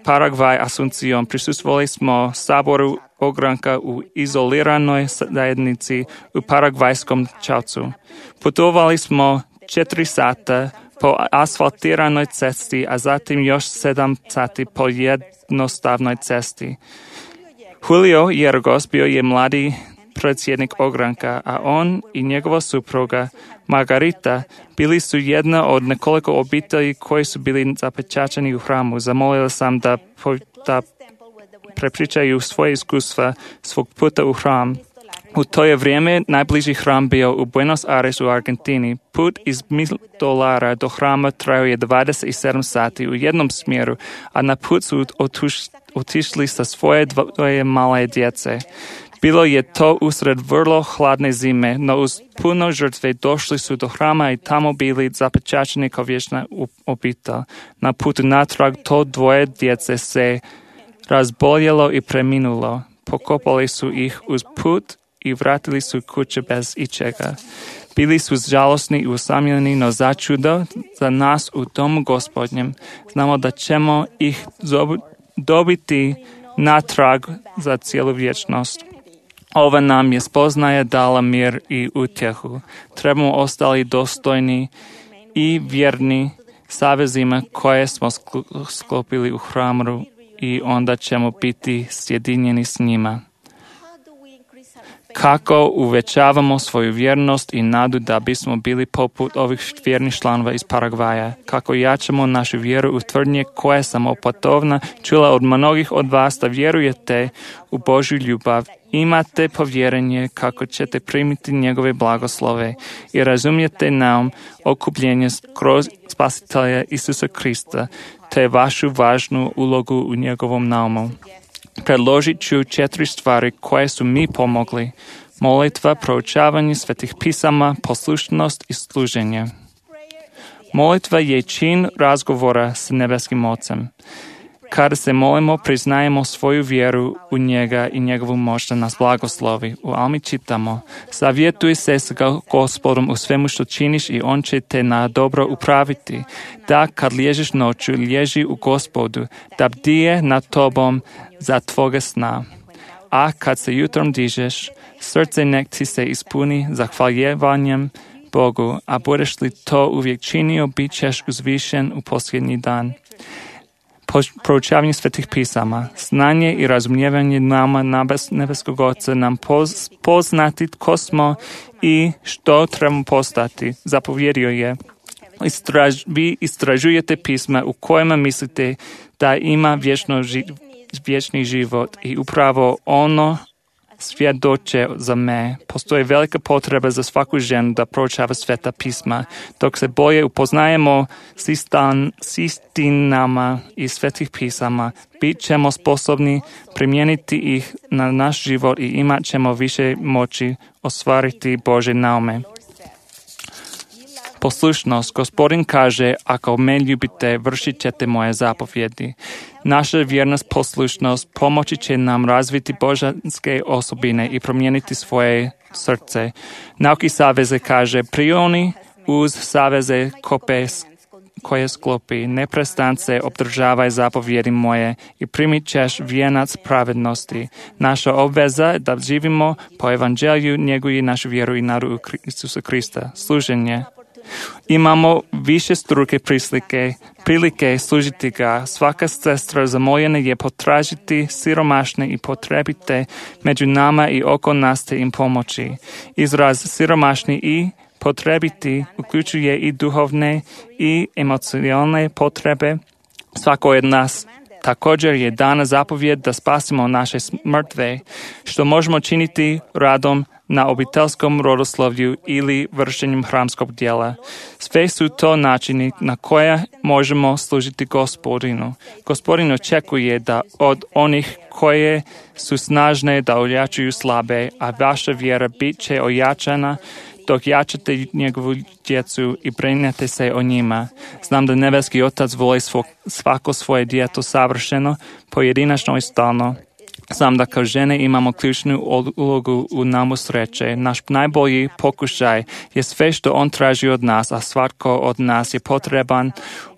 [SPEAKER 4] Paragvaj Asunción, prisustvovali smo saboru ogranka u izoliranoj zajednici u paragvajskom Čavcu. Putovali smo četiri sata po asfaltiranoj cesti, a zatim još sedam sati po jednostavnoj cesti. Julio Jergos bio je mladi predsjednik ogranka, a on i njegova supruga Margarita bili su jedna od nekoliko obitelji koji su bili zapečaćeni u hramu. Zamolila sam da, po, da prepričaju svoje iskustva svog puta u hram. U to je vrijeme najbliži hram bio u Buenos Aires u Argentini. Put iz Dolara do hrama trajao je dvadeset sedam sati u jednom smjeru, a na put su otuš, otišli sa svoje dvoje male djece. Bilo je to usred vrlo hladne zime, no uz puno žrtve došli su do hrama i tamo bili zapečaćeni kao vječna obitelj. Na putu natrag to dvoje djece se razboljelo i preminulo. Pokopali su ih uz put i vratili su kuće bez ičega. Bili su žalosni i usamljeni, no začudo za nas u domu Gospodnjem znamo da ćemo ih dobiti natrag za cijelu vječnost. Ova nam je spoznaja dala mir i utjehu. Trebamo ostali dostojni i vjerni savezima koje smo sklopili u hramu i onda ćemo biti sjedinjeni s njima. Kako uvećavamo svoju vjernost i nadu da bismo bili poput ovih vjernih članova iz Paragvaja? Kako jačamo našu vjeru u tvrdnje koje sam opatovna čula od mnogih od vas da vjerujete u Božju ljubav, imate povjerenje kako ćete primiti njegove blagoslove i razumijete nam okupljenje kroz spasitelja Isusa Krista te vašu važnu ulogu u njegovom naumu. Predložit ću četiri stvari koje su mi pomogli. Molitva, proučavanje svetih pisama, poslušnost i služenje. Molitva je čin razgovora s nebeskim Ocem. Kada se molimo, priznajemo svoju vjeru u njega i njegovu moć da nas blagoslovi. U Almi čitamo, savjetuj se s Gospodom u svemu što činiš i on će te na dobro upraviti. Da kad liježeš noću, liježi u Gospodu, da bdije nad tobom za tvoga sna. a kad se jutrom dižeš, srce nek ti se ispuni zahvaljevanjem Bogu, a budeš li to uvijek činio, bit ćeš uzvišen u posljednji dan. Proučavanje svetih pisama, znanje i razumijevanje nama nebeskog Oca nam poz, poznati tko smo i što trebamo postati. Zapovjedio je, istraž, vi istražujete pisma u kojima mislite da ima vječno ži, vječni život i upravo ono svjedoče za me. Postoji velika potreba za svaku ženu da proučava sveta pisma. Dok se bolje upoznajemo s, istan, s istinama i svetih pisama, bit ćemo sposobni primijeniti ih na naš život i imat ćemo više moći ostvariti Božje naume. Poslušnost. Gospodin kaže, ako me ljubite, vršit ćete moje zapovjedi. Naša vjernost, poslušnost pomoći će nam razviti božanske osobine i promijeniti svoje srce. Nauki saveze kaže, prioni uz saveze kope, koje sklopi, neprestance obdržavaj zapovjedi moje i primit ćeš vijenac pravednosti. Naša obveza je da živimo po evanđelju, njeguje našu vjeru i nadu u Isusa Krista. Služenje. Imamo više struke prislike, prilike služiti ga. Svaka sestra zamoljena je potražiti siromašne i potrebite među nama i oko nas te im pomoći. Izraz siromašni i potrebiti uključuje i duhovne i emocionalne potrebe. Svako od nas također je dana zapovjed da spasimo naše mrtve, što možemo činiti radom na obiteljskom rodoslovlju ili vršenjem hramskog djela. Sve su to načini na koje možemo služiti Gospodinu. Gospodin očekuje da od onih koje su snažne da ojačuju slabe, a vaša vjera bit će ojačana dok jačate njegovu djecu i brinete se o njima. Znam da nebeski Otac voli svako svoje djeto savršeno, pojedinačno i stalno. Znam da kao žene imamo ključnu ulogu u namu sreće. Naš najbolji pokušaj je sve što on traži od nas, a svatko od nas je potreban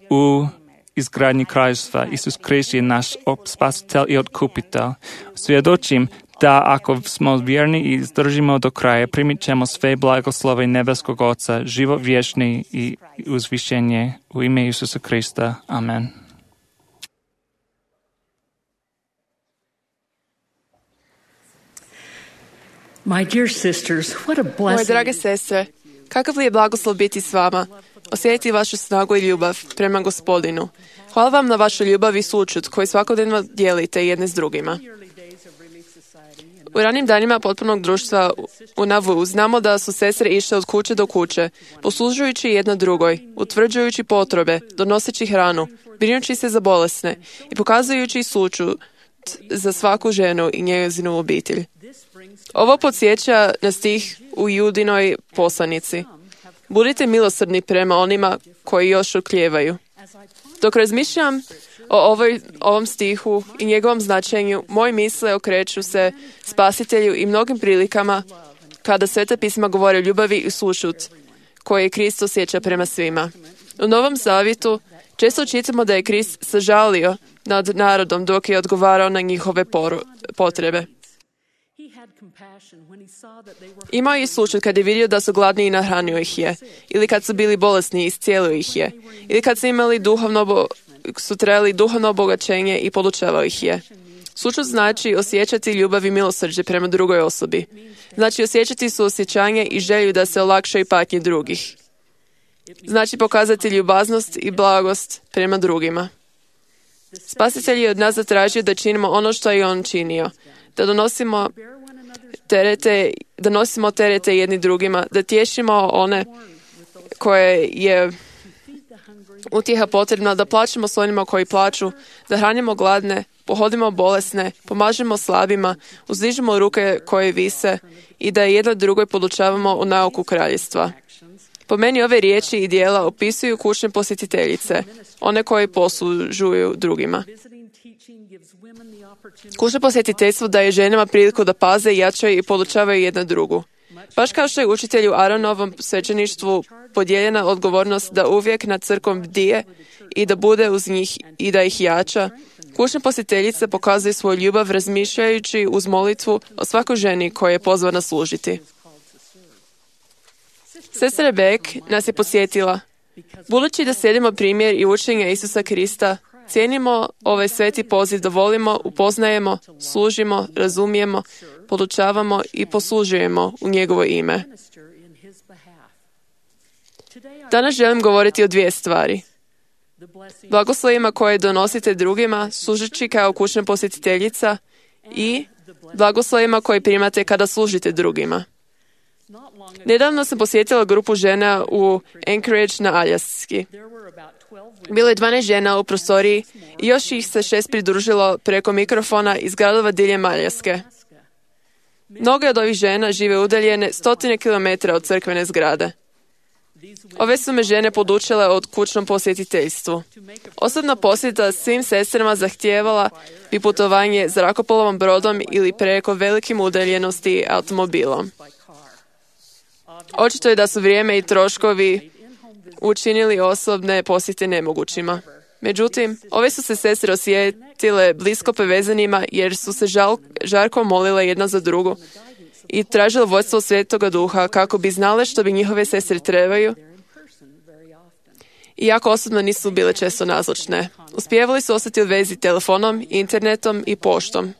[SPEAKER 4] u izgradnji kraljevstva. Isus Krist je naš spasitelj i otkupitelj. Svjedočim da ako smo vjerni i izdržimo do kraja, primit ćemo sve blagoslove nebeskog Oca, život vječni i uzvišenje u ime Isusa Krista. Amen.
[SPEAKER 3] My dear sisters, what a
[SPEAKER 2] Moje
[SPEAKER 3] blessing.
[SPEAKER 2] drage sestre, kakav li je blagoslov biti s vama, osjetiti vašu snagu i ljubav prema Gospodinu. Hvala vam na vašu ljubav i sućut koji svakodnevno dijelite jedne s drugima. U ranim danima potpunog društva u Nauvoo znamo da su sestre išle od kuće do kuće, poslužujući jedna drugoj, utvrđujući potrebe, donoseći hranu, brinući se za bolesne i pokazujući sućut za svaku ženu i njezinu obitelj. Ovo podsjeća na stih u Judinoj poslanici. Budite milosrdni prema onima koji još oklijevaju. Dok razmišljam o ovoj, ovom stihu i njegovom značenju, moje misle okreću se Spasitelju i mnogim prilikama kada Sveta pisma govore o ljubavi i sućut koje Krist osjeća prema svima. U Novom Zavjetu često čitamo da je Krist sažalio nad narodom dok je odgovarao na njihove poru, potrebe. Imao je sućut kad je vidio da su gladni i nahranio ih je, ili kad su bili bolesni i iscijelio ih je, ili kad su imali duhovno, bo, su trebali duhovno obogaćenje i podučavao ih je. Sućut znači osjećati ljubav i milosrđe prema drugoj osobi. Znači osjećati suosjećanje i želju da se olakšaju patnje drugih. Znači pokazati ljubaznost i blagost prema drugima. Spasitelj je od nas zatražio da činimo ono što je on činio, da donosimo terete, da nosimo terete jedni drugima, da tješimo one koje je utjeha potrebna, da plaćemo s onima koji plaću, da hranimo gladne, pohodimo bolesne, pomažemo slabima, uzdižemo ruke koje vise i da jedno drugoj podučavamo u nauku kraljevstva. Po meni ove riječi i dijela opisuju kućne posjetiteljice, one koje poslužuju drugima. Kućno posjetiteljstvo daje ženama priliku da paze, jačaju i podučavaju jedna drugu. Baš kao što je učitelju Aaronovom svećeništvu podijeljena odgovornost da uvijek nad crkvom bdije i da bude uz njih i da ih jača, Kućna posjetiteljica pokazuje svoju ljubav razmišljajući uz molitvu o svakoj ženi koja je pozvana služiti. Sestra Beck nas je podsjetila, budući da slijedimo primjer i učenje Isusa Krista, cijenimo ovaj sveti poziv da volimo, upoznajemo, služimo, razumijemo, podučavamo i poslužujemo u njegovo ime. Danas želim govoriti o dvije stvari. Blagoslovima koje donosite drugima, služeći kao kućna posjetiteljica, i blagoslovima koje primate kada služite drugima. Nedavno sam posjetila grupu žena u Anchorage na Aljaski. Bilo je dvanaest žena u prostoriji i još ih se šest pridružilo preko mikrofona iz gradova diljem Aljaske. Mnoge od ovih žena žive udaljene stotine kilometara od crkvene zgrade. Ove su me žene podučile od kućnom posjetiteljstvu. Osobna posjeta svim sestrama zahtijevala bi putovanje zrakoplovom brodom ili preko velikim udaljenosti automobilom. Očito je da su vrijeme i troškovi učinili osobne posjete nemogućima. Međutim, ove su se sestre osjetile blisko povezanima jer su se žal, žarko molile jedna za drugu i tražile vodstvo Svetoga Duha kako bi znale što bi njihove sestre trebaju, iako osobno nisu bile često nazočne. Uspijevali su ostati u vezi telefonom, internetom i poštom.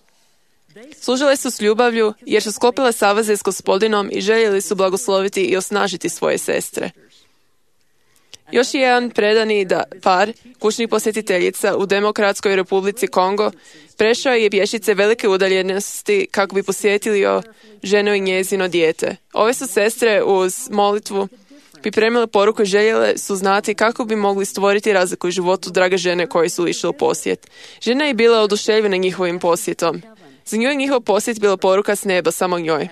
[SPEAKER 2] Služile su s ljubavlju jer su sklopile saveze s Gospodinom i željeli su blagosloviti i osnažiti svoje sestre. Još jedan predani da par kućnih posjetiteljica u Demokratskoj Republici Kongo prešao je pješice velike udaljenosti kako bi posjetili ženu i njezino dijete. Ove su sestre uz molitvu pripremile poruku i željele su znati kako bi mogli stvoriti razliku u životu drage žene koje su išle u posjet. Žena je bila oduševljena njihovim posjetom. Za nju je njihov posjet bila poruka s neba samo njoj.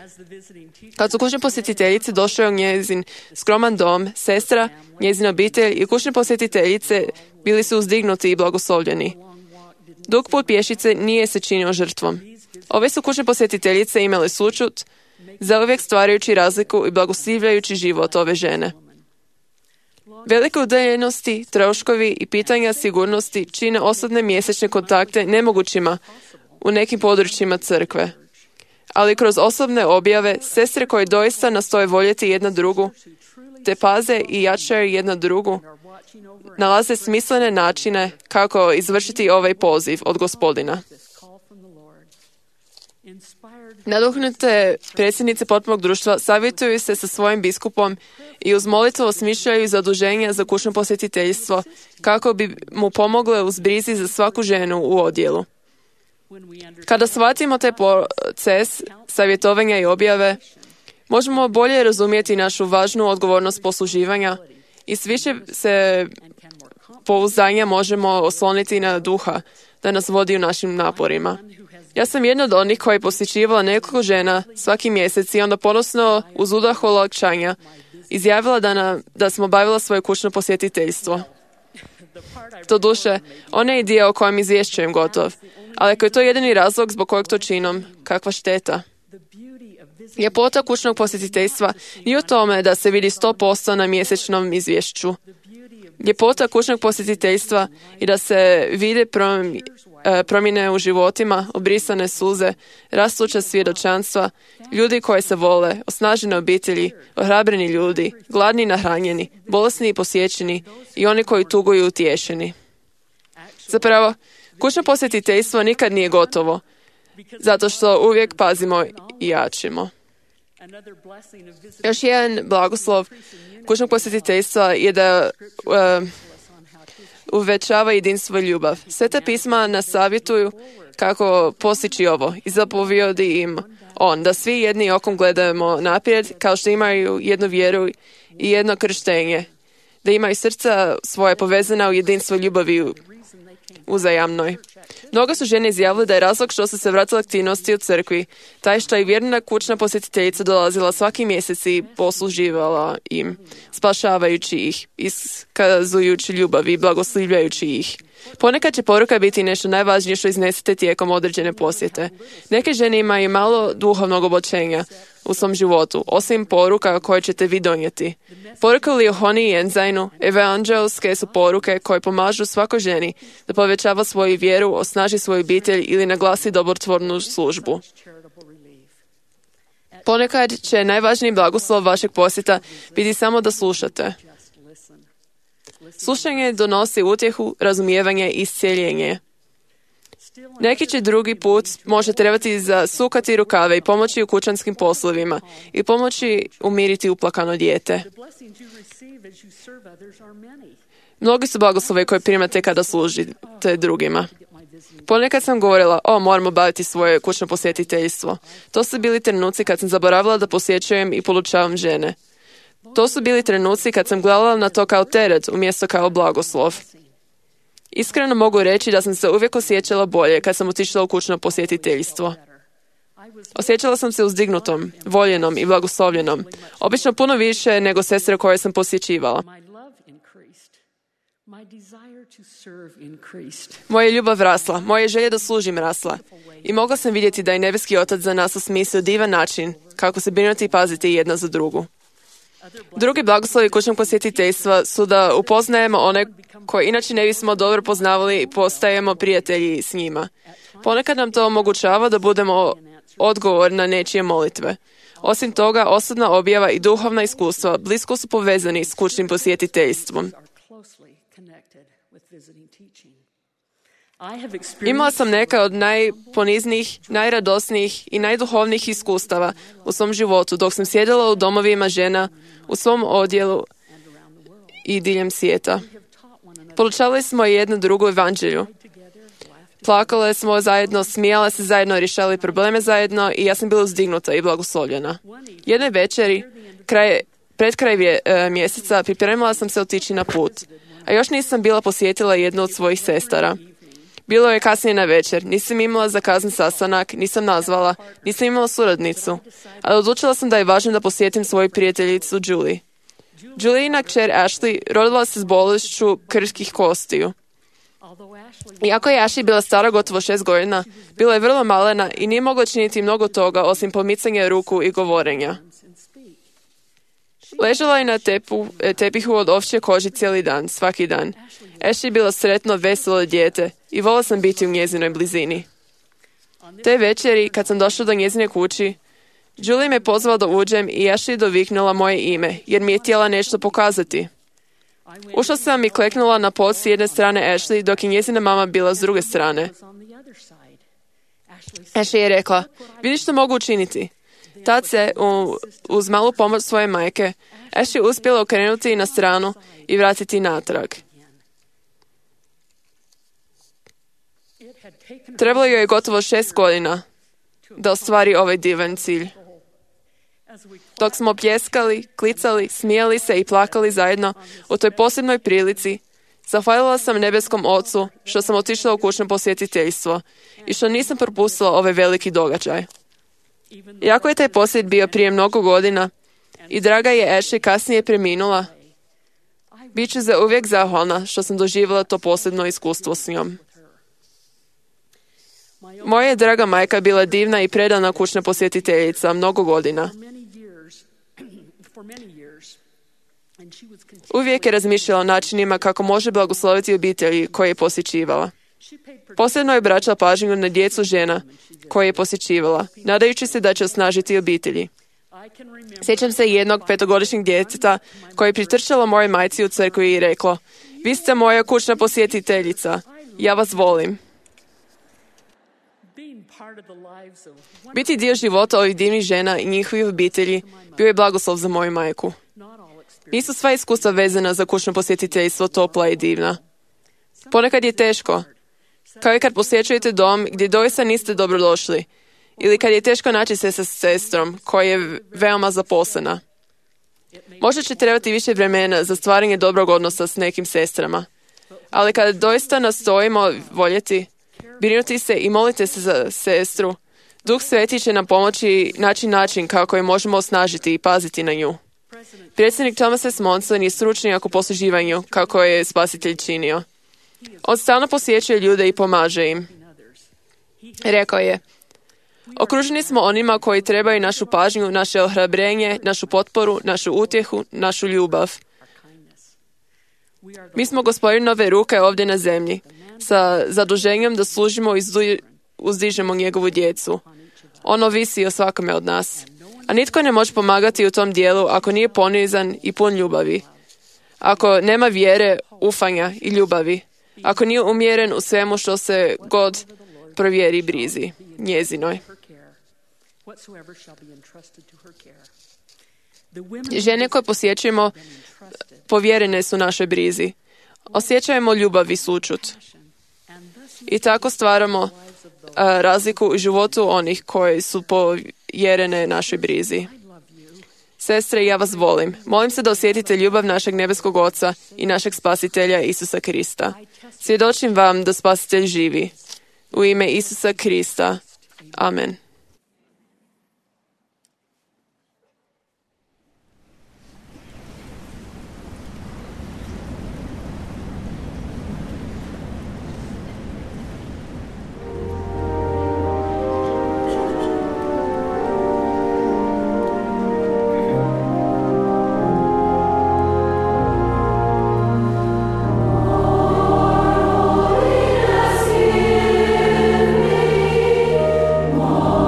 [SPEAKER 2] Kad su kućne posjetiteljice došle u njezin skroman dom, sestra, njezina obitelj i kućne posjetiteljice bili su uzdignuti i blagoslovljeni. Dug put pješice nije se činio žrtvom. Ove su kućne posjetiteljice imale sućut, zauvijek stvarajući razliku i blagoslivljajući život ove žene. Velike udaljenosti, troškovi i pitanja sigurnosti čine osobne mjesečne kontakte nemogućima u nekim područjima crkve. Ali kroz osobne objave, sestre koje doista nastoje voljeti jedna drugu, te paze i jačaju jedna drugu, nalaze smislene načine kako izvršiti ovaj poziv od Gospodina. Naduhnute predsjednice potpunog društva savjetuju se sa svojim biskupom i uz molitvu osmišljaju zaduženja za kućno posjetiteljstvo kako bi mu pomogle uz brizi za svaku ženu u odjelu. Kada shvatimo taj proces savjetovanja i objave, možemo bolje razumjeti našu važnu odgovornost posluživanja i s više se pouzdanja možemo osloniti na Duha da nas vodi u našim naporima. Ja sam jedna od onih koja je posjećivala nekoliko žena svaki mjesec i onda ponosno uz udah olakšanja izjavila da, na, da smo bavila svoje kućno posjetiteljstvo. Doduše, onaj dio o kojem izvješćujem gotov, ali ako je to jedini razlog zbog kojeg to činom, kakva šteta. Ljepota kućnog posjetiteljstva nije u tome da se vidi sto posto na mjesečnom izvješću. Ljepota kućnog posjetiteljstva i da se vide promjene u životima, obrisane suze, rastuća svjedočanstva, ljudi koji se vole, osnažene obitelji, ohrabreni ljudi, gladni i nahranjeni, bolesni i posjećeni i oni koji tuguju i utješeni. Zapravo, kućno posjetiteljstvo nikad nije gotovo, zato što uvijek pazimo i jačimo. Još jedan blagoslov kućnog posjetiteljstva je da uh, uvećava jedinstvo i ljubav. Sveta pisma nas savjetuju kako postići ovo i zapovjedi im on, da svi jedni okom gledamo naprijed kao što imaju jednu vjeru i jedno krštenje, da imaju srca svoje povezana u jedinstvo ljubavi uzajamnoj. Mnogo su žene izjavile da je razlog što su se vratile aktivnosti u crkvi, taj što je vjerna kućna posjetiteljica dolazila svaki mjesec i posluživala im, spašavajući ih, iskazujući ljubav i blagoslivljajući ih. Ponekad će poruka biti nešto najvažnije što iznesete tijekom određene posjete. Neke žene imaju malo duhovnog obočenja u svom životu, osim poruka koje ćete vi donijeti. Poruke u Lihoni i Enzajnu, evanđelske su poruke koje pomažu svakoj ženi da povećava svoju vjeru, osnaži svoju obitelj ili naglasi dobrotvornu službu. Ponekad će najvažniji blagoslov vašeg posjeta biti samo da slušate. Slušanje donosi utjehu, razumijevanje i iscijeljenje. Neki će drugi put može trebati zasukati rukave i pomoći u kućanskim poslovima i pomoći umiriti uplakano dijete. Mnogi su blagoslove koje primate kada služite drugima. Ponekad sam govorila, o, moramo baviti svoje kućno posjetiteljstvo. To su bili trenuci kad sam zaboravila da posjećujem i polučavam žene. To su bili trenuci kad sam gledala na to kao teret umjesto kao blagoslov. Iskreno mogu reći da sam se uvijek osjećala bolje kad sam otišla u kućno posjetiteljstvo. Osjećala sam se uzdignutom, voljenom i blagoslovljenom. Obično puno više nego sestre koje sam posjećivala. Moja ljubav rasla, moje želje da služim rasla. I mogla sam vidjeti da je nebeski otac za nas osmislio divan način kako se brinuti i paziti jedna za drugu. Drugi blagoslovi kućnog posjetiteljstva su da upoznajemo one koje inače ne bismo dobro poznavali i postajemo prijatelji s njima. Ponekad nam to omogućava da budemo odgovor na nečije molitve. Osim toga, osobna objava i duhovna iskustva blisko su povezani s kućnim posjetiteljstvom. Imala sam neka od najponiznijih, najradosnijih i najduhovnijih iskustava u svom životu dok sam sjedila u domovima žena u svom odjelu i diljem svijeta. Polučavali smo jednu drugu evanđelju. Plakale smo zajedno, smijale se zajedno, rješavali probleme zajedno i ja sam bila uzdignuta i blagoslovljena. Jedne večeri, kraj, pred kraj vje, e, mjeseca, pripremila sam se otići na put, a još nisam bila posjetila jednu od svojih sestara. Bilo je kasnije na večer, nisam imala zakazan sastanak, nisam nazvala, nisam imala suradnicu, ali odlučila sam da je važno da posjetim svoju prijateljicu Julie. Julijina kćer Ashley rodila se s bolešću krhkih kostiju. Iako je Ashley bila stara gotovo šest godina, bila je vrlo malena i nije mogla činiti mnogo toga osim pomicanja ruku i govorenja. Ležala je na tepu, tepihu od ovčje kože cijeli dan, svaki dan. Ashley je bila sretno, veselo dijete i volila sam biti u njezinoj blizini. Te večeri, kad sam došla do njezine kući, Julie me pozvala da uđem i Ashley doviknula moje ime, jer mi je htjela nešto pokazati. Ušla sam i kleknula na pod s jedne strane Ashley, dok je njezina mama bila s druge strane. Ashley je rekla, vidi što mogu učiniti. Tad se, uz malu pomoć svoje majke, Ashley uspjela okrenuti na stranu i vratiti natrag. Trebalo joj je gotovo šest godina da ostvari ovaj divan cilj. Dok smo pljeskali, klicali, smijali se i plakali zajedno u toj posebnoj prilici, zahvalila sam nebeskom Ocu što sam otišla u kućno posjetiteljstvo i što nisam propustila ovaj veliki događaj. Iako je taj posjet bio prije mnogo godina i draga je Ashley kasnije preminula, bit ću za uvijek zahvalna što sam doživjela to posebno iskustvo s njom. Moja je draga majka bila divna i predana kućna posjetiteljica mnogo godina. Uvijek je razmišljala o načinima kako može blagosloviti obitelji koje je posjećivala. Posebno je obraćala pažnju na djecu žena koje je posjećivala, nadajući se da će osnažiti obitelji. Sjećam se jednog petogodišnjeg djeteta koje je pritrčalo moje majci u crkvi i reklo, vi ste moja kućna posjetiteljica, ja vas volim. Biti dio života ovih divnih žena i njihovih obitelji bio je blagoslov za moju majku. Nisu sva iskustva vezana za kućno posjetiteljstvo topla i divna. Ponekad je teško, kao i kad posjećujete dom gdje doista niste dobrodošli, ili kad je teško naći se sa sestrom koja je veoma zaposlena. Možda će trebati više vremena za stvaranje dobrog odnosa s nekim sestrama, ali kada doista nastojimo voljeti, brinuti se i molite se za sestru, Duh Sveti će nam pomoći naći način kako je možemo osnažiti i paziti na nju. Predsjednik Thomas S. Monson je stručnjak u posluživanju kako je Spasitelj činio. On stalno posjećuje ljude i pomaže im. Rekao je, okruženi smo onima koji trebaju našu pažnju, naše ohrabrenje, našu potporu, našu utjehu, našu ljubav. Mi smo Gospodinove ruke ovdje na zemlji, sa zaduženjem da služimo i uzdižemo njegovu djecu. Ono visi o svakome od nas. A nitko ne može pomagati u tom dijelu ako nije ponizan i pun ljubavi. Ako nema vjere, ufanja i ljubavi. Ako nije umjeren u svemu što se god provjeri brizi njezinoj. Žene koje posjećujemo povjerene su našoj brizi. Osjećajemo ljubav i sućut. I tako stvaramo a, razliku u životu onih koji su povjerene našoj brizi. Sestre, ja vas volim. Molim se da osjetite ljubav našeg nebeskog Oca i našeg Spasitelja Isusa Krista. Svjedočim vam da Spasitelj živi. U ime Isusa Krista. Amen.
[SPEAKER 5] Oh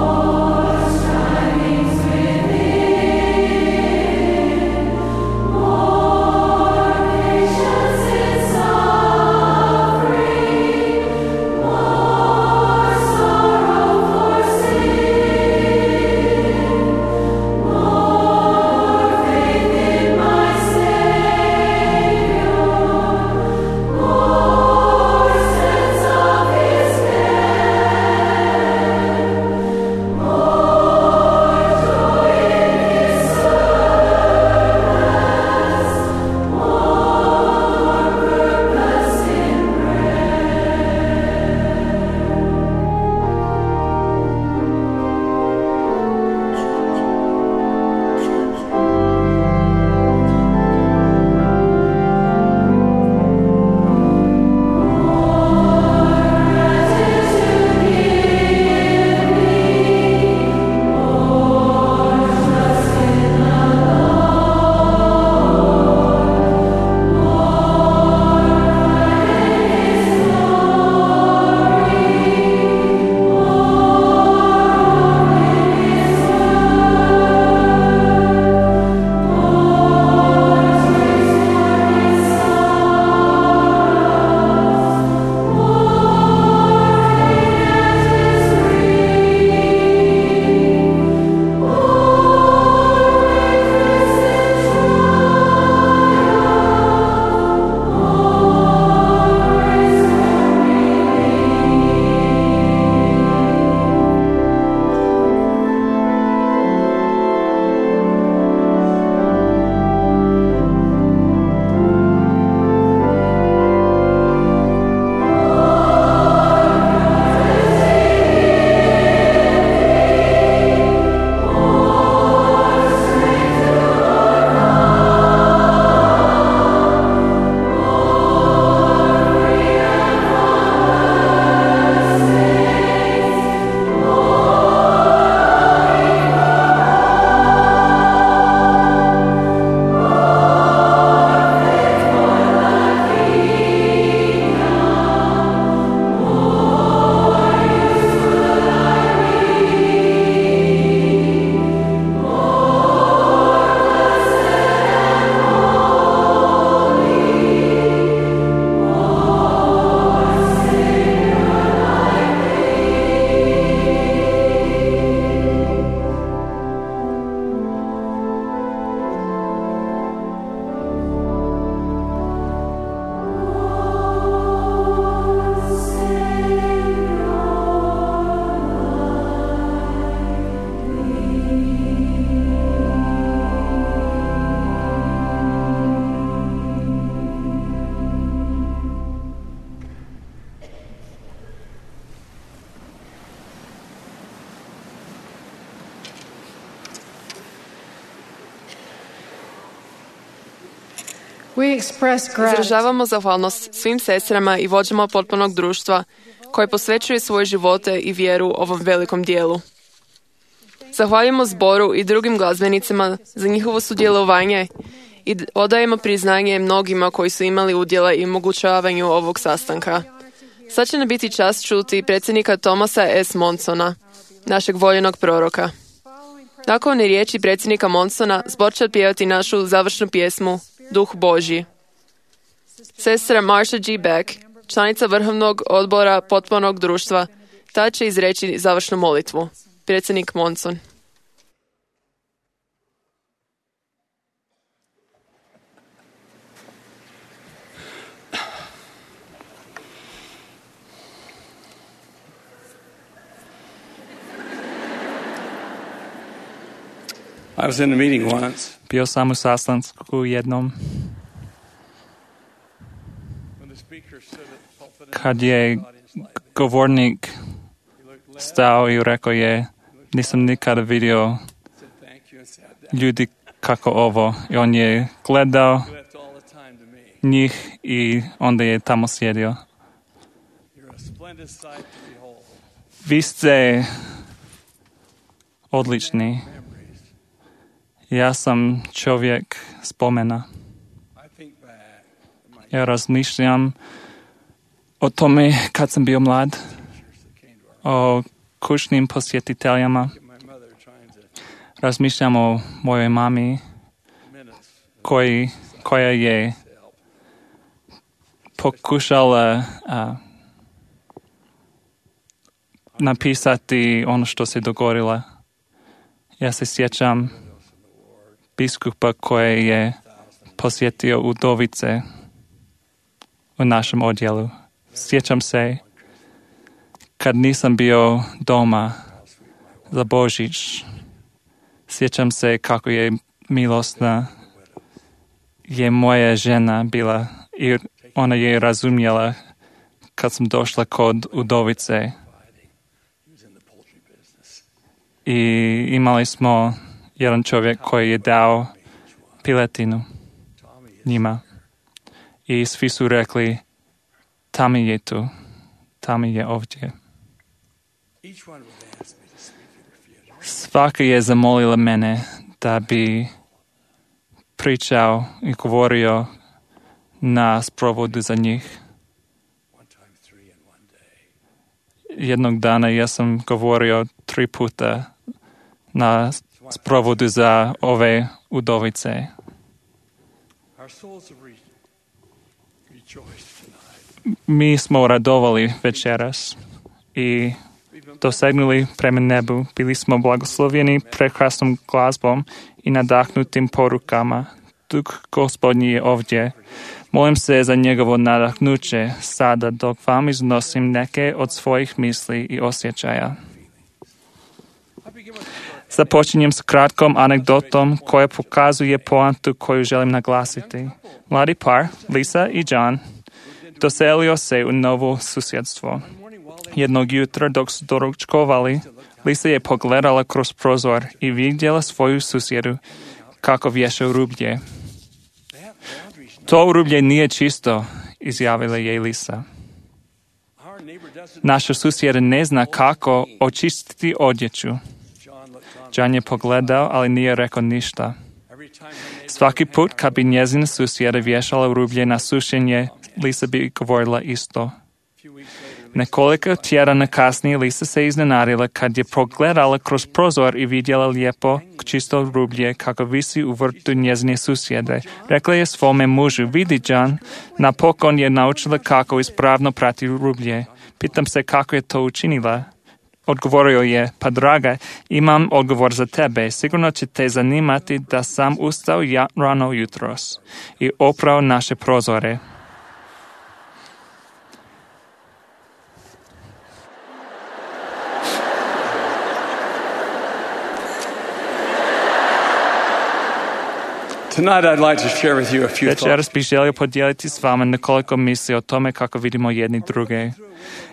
[SPEAKER 1] We express gratitude
[SPEAKER 2] Izražavamo zahvalnost svim sestrama i vođama potpornog društva koji posvećuju svoje živote i vjeru ovom velikom dijelu. Zahvaljujemo zboru i drugim glazbenicima za njihovo sudjelovanje i odajemo priznanje mnogima koji su imali udjela i omogućavanju ovog sastanka. Sad će nam biti čast čuti predsjednika Thomasa S. Monsona, našeg voljenog proroka. Nakon riječi predsjednika Monsona, zbor će pjevati našu završnu pjesmu Duh Božji. Sestra Marsha G. Beck, članica Vrhovnog odbora potpornog društva, ta će izreći završnu molitvu. Predsjednik Monson.
[SPEAKER 5] I was in a meeting once.
[SPEAKER 4] Bio sam u sastanku jednom kad je govornik stao i rekao je, nisam nikada vidio ljudi kako ovo. I on je gledao njih i onda je tamo sjedio. Vi ste odlični. Ja sam čovjek spomena. Ja razmišljam o tome kad sam bio mlad, o kućnim posjetiteljama. Razmišljam o mojoj mami koji, koja je pokušala a, napisati ono što se dogodilo. Ja se sjećam biskupa koji je posjetio udovice u našem odjelu. Sjećam se kad nisam bio doma za Božić. Sjećam se kako je milosna je moja žena bila i ona je razumjela kad sam došla kod udovice. I imali smo jedan čovjek koji je dao piletinu njima. I svi su rekli, Tami je tu, Tami je ovdje. Svaka je zamolila mene da bi pričao i govorio na sprovodu za njih. Jednog dana ja sam govorio tri puta na sprovodu za ove udovice. Mi smo radovali večeras i dosegnuli prema nebu. Bili smo blagoslovljeni prekrasnom glazbom i nadahnutim porukama. Duh Gospodnji je ovdje. Molim se za njegovo nadahnuće sada dok vam iznosim neke od svojih misli i osjećaja. Započinjem s kratkom anegdotom koja pokazuje poantu koju želim naglasiti. Mladi par, Lisa i John, doselio se u novo susjedstvo. Jednog jutra dok su doručkovali, Lisa je pogledala kroz prozor i vidjela svoju susjedu kako vješa rublje. To rublje nije čisto, izjavila je Lisa. Naša susjeda ne zna kako očistiti odjeću. John je pogledao, ali nije rekao ništa. Svaki put kad bi njezina susjeda vješala rublje na sušenje, Lisa bi govorila isto. Nekoliko tjedana kasnije Lisa se iznenadila kad je pogledala kroz prozor i vidjela lijepo čisto rublje kako visi u vrtu njezine susjede. Rekla je svome mužu, vidi John, napokon je naučila kako ispravno prati rublje. Pitam se kako je to učinila. Odgovorio je, pa draga, imam odgovor za tebe. Sigurno će te zanimati da sam ustao ja, rano jutros i oprao naše prozore.
[SPEAKER 5] Tonight I'd like to share with you a few thoughts.
[SPEAKER 4] Večeras bih želio podijeliti s vama nekoliko misli o tome kako vidimo jedni druge.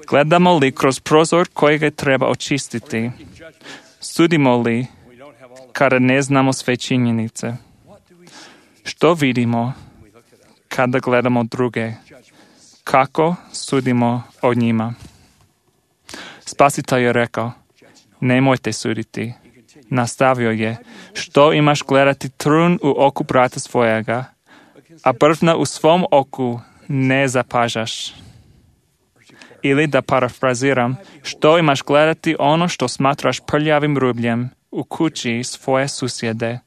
[SPEAKER 4] Gledamo li kroz prozor kojega treba očistiti? Sudimo li kada ne znamo sve činjenice? Što vidimo kada gledamo druge? Kako sudimo o njima? Spasitelj je rekao, nemojte suditi. Nastavio je, što imaš gledati trun u oku brata svojega, a brvna u svom oku ne zapažaš. Ili da parafraziram, što imaš gledati ono što smatraš prljavim rubljem u kući svoje susjede,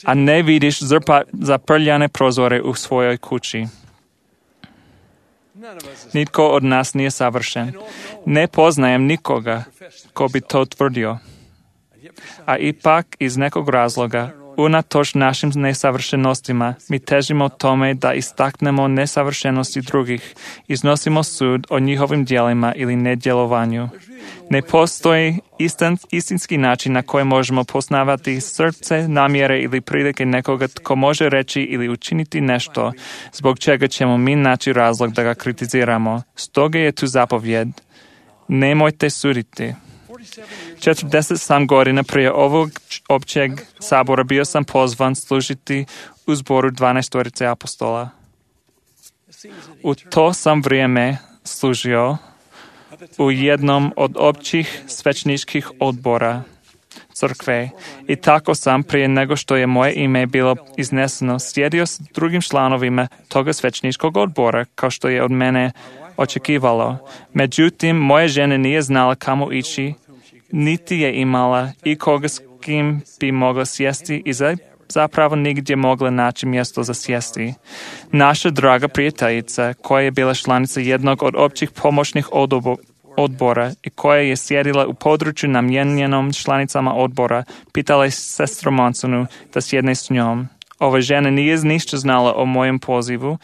[SPEAKER 4] a ne vidiš zrpa zaprljane prozore u svojoj kući. Nitko od nas nije savršen. Ne poznajem nikoga ko bi to tvrdio. A ipak iz nekog razloga, unatoč našim nesavršenostima, mi težimo tome da istaknemo nesavršenosti drugih, iznosimo sud o njihovim djelima ili nedjelovanju. Ne postoji istin, istinski način na koji možemo poznavati srce, namjere ili prilike nekoga tko može reći ili učiniti nešto zbog čega ćemo mi naći razlog da ga kritiziramo. Stoga je tu zapovjed. Nemojte suditi. četrdeset sedam godina prije ovog općeg sabora bio sam pozvan služiti u zboru dvanaestorice apostola. U to sam vrijeme služio u jednom od općih svećničkih odbora crkve i tako sam prije nego što je moje ime bilo izneseno sjedio s drugim članovima toga svećničkog odbora kao što je od mene očekivalo. Međutim, moja žena nije znala kamo ići, niti je imala i koga s kim bi mogla sjesti i zapravo nigdje mogla naći mjesto za sjesti. Naša draga prijateljica, koja je bila članica jednog od općih pomoćnih odbora i koja je sjedila u području namijenjenom članicama odbora, pitala je sestru Mansonu da sjedne s njom. Ova žena nije ništa znala o mojem pozivu,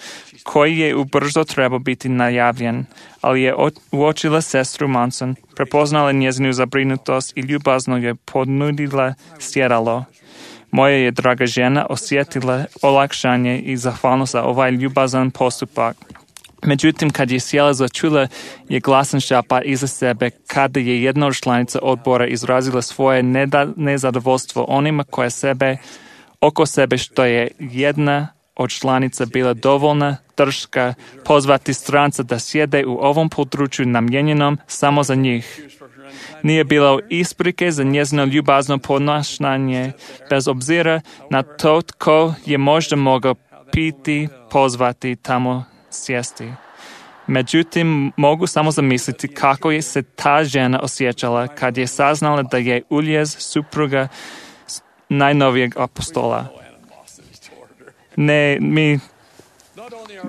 [SPEAKER 4] koji je ubrzo trebao biti najavljen, ali je uočila sestru Manson, prepoznala njezinu zabrinutost i ljubazno je ponudila sjedalo. Moja je draga žena osjetila olakšanje i zahvalnost za ovaj ljubazan postupak. Međutim, kad je sjela začula je glasan šapat iza sebe kada je jedna od članica odbora izrazila svoje nezadovoljstvo onima koje sebe oko sebe što je jedna od članica bila dovoljna drška pozvati stranca da sjede u ovom području namijenjenom samo za njih. Nije bilo isprike za njezino ljubazno ponašanje bez obzira na to tko je možda mogao piti, pozvati tamo sjesti. Međutim, mogu samo zamisliti kako je se ta žena osjećala kad je saznala da je uljez supruga najnovijeg apostola. Ne, mi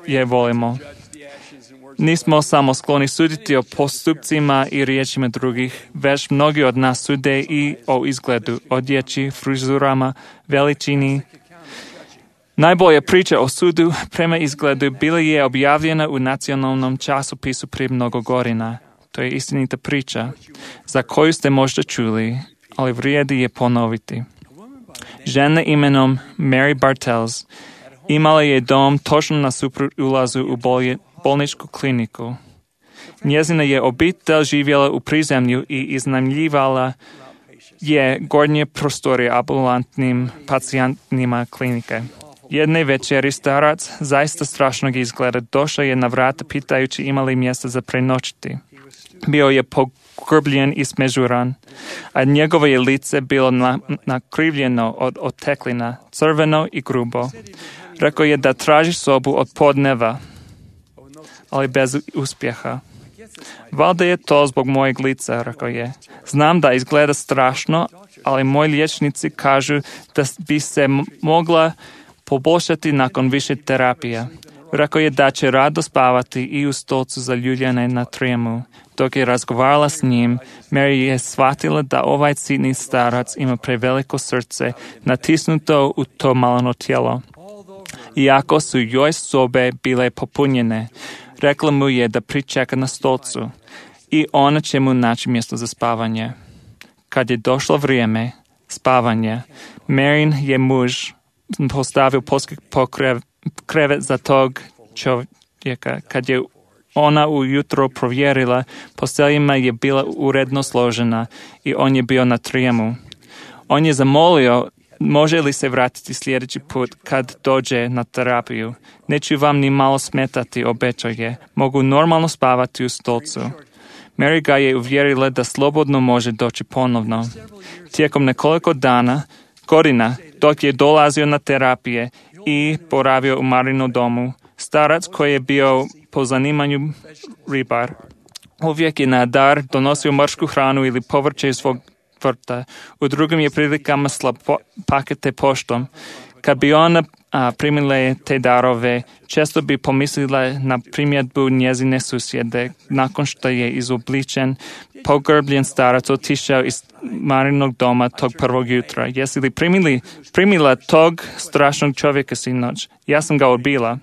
[SPEAKER 4] je volimo. Nismo samo skloni suditi o postupcima i riječima drugih, već mnogi od nas sude i o izgledu, odjeći, frizurama, veličini. Najbolja priča o sudu prema izgledu bila je objavljena u nacionalnom časopisu prije mnogo godina. To je istinita priča, za koju ste možda čuli, ali vrijedi je ponoviti. Žena imenom Mary Bartels imala je dom točno na suprot ulazu u bolje, bolničku kliniku. Njezina je obitelj živjela u prizemlju i iznajmljivala je gornje prostorije ambulantnim pacijentima klinike. Jedne večeri starac, zaista strašnog izgleda, došao je na vrata pitajući imali mjesta za prenoćiti. Bio je pogrbljen i smežuran, a njegovo je lice bilo na, nakrivljeno od oteklina, crveno i grubo. Rekao je da traži sobu od podneva, ali bez uspjeha. Valjda je to zbog mojeg lica, rekao je. Znam da izgleda strašno, ali moji liječnici kažu da bi se mogla poboljšati nakon više terapija. Rekao je da će rado spavati i u stolcu za ljuljane na trijemu. Dok je razgovarala s njim, Mary je shvatila da ovaj sitni starac ima preveliko srce natisnuto u to maleno tijelo. Iako su joj sobe bile popunjene, rekla mu je da pričeka na stolcu i ona će mu naći mjesto za spavanje. Kad je došlo vrijeme spavanja, Marin je muž postavio pokrev, krevet za tog čovjeka. Kad je ona ujutro provjerila, posteljima je bila uredno složena i on je bio na trijemu. On je zamolio može li se vratiti sljedeći put kad dođe na terapiju? Neću vam ni malo smetati, obećaje. Mogu normalno spavati u stolcu. Mary ga je uvjerila da slobodno može doći ponovno. Tijekom nekoliko dana, godina, dok je dolazio na terapije i boravio u Marinom domu, starac koji je bio po zanimanju ribar, uvijek je na dar donosio morsku hranu ili povrće iz svog vrta. U drugim je prilikama slao po, pakete poštom. Kad bi ona a, primila te darove, često bi pomislila na primjedbu njezine susjede. Nakon što je izobličen, pogrbljen starac otišao iz Marinog doma tog prvog jutra. Jesi li primili, primila tog strašnog čovjeka sinoć? Ja sam ga odbila.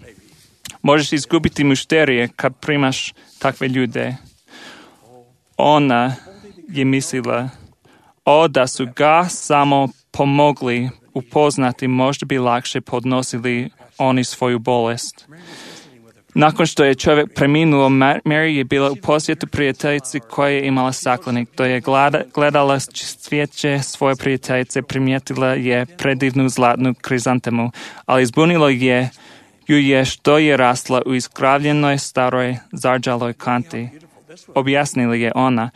[SPEAKER 4] Možeš izgubiti mušterije kad primaš takve ljude. Ona je mislila, o da su ga samo pomogli upoznati, možda bi lakše podnosili oni svoju bolest. Nakon što je čovjek preminuo, Mary je bila u posjetu prijateljici koja je imala staklenik. To je gledala cvijeće svoje prijateljice, primijetila je predivnu zlatnu krizantemu, ali zbunilo je ju je što je rasla u iskravljenoj staroj zarđaloj kanti. Objasnila je ona,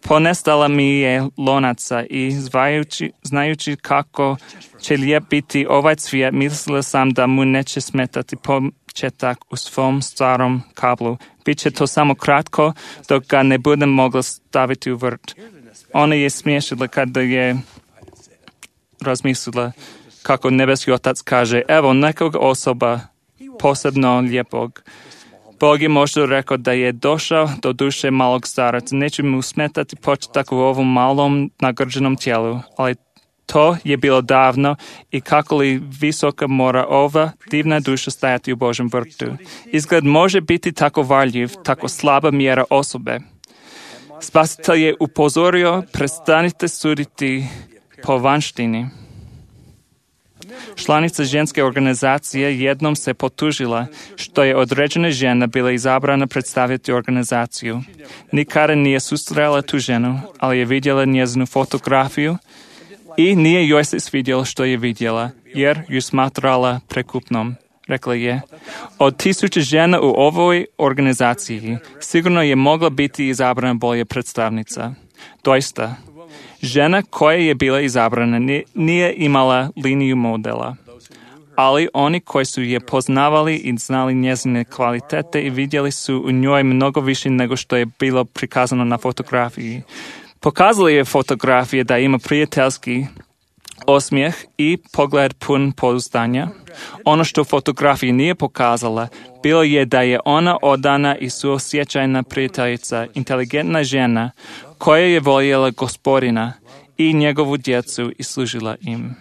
[SPEAKER 4] ponestala mi je lonaca i zvajući, znajući kako će lijep biti ovaj cvijet, mislila sam da mu neće smetati početak u svom starom kablu. Biće to samo kratko dok ga ne budem mogla staviti u vrt. Ona je smiješila kada je razmislila kako nebeski otac kaže, evo nekog osoba posebno lijepog. Bog je možda rekao da je došao do duše malog staraca. Neće mu smetati početak u ovom malom nagrđenom tijelu, ali to je bilo davno i kako li visoka mora ova divna duša stajati u Božem vrtu. Izgled može biti tako varljiv, tako slaba mjera osobe. Spasitelj je upozorio, prestanite suditi po vanštini. Članica ženske organizacije jednom se potužila što je određena žena bila izabrana predstaviti organizaciju. Nikada nije susrela tu ženu, ali je vidjela njezinu fotografiju i nije joj se svidjelo što je vidjela, jer ju smatrala prekupnom. Rekla je, od tisuće žena u ovoj organizaciji sigurno je mogla biti izabrana bolja predstavnica. Doista, žena koja je bila izabrana nije imala liniju modela, ali oni koji su je poznavali i znali njezine kvalitete i vidjeli su u njoj mnogo više nego što je bilo prikazano na fotografiji. Pokazali je fotografije da ima prijateljski osmijeh i pogled pun pouzdanja. Ono što fotografija nije pokazala bilo je da je ona odana i suosjećajna prijateljica, inteligentna žena koja je voljela Gospodina i njegovu djecu i služila im.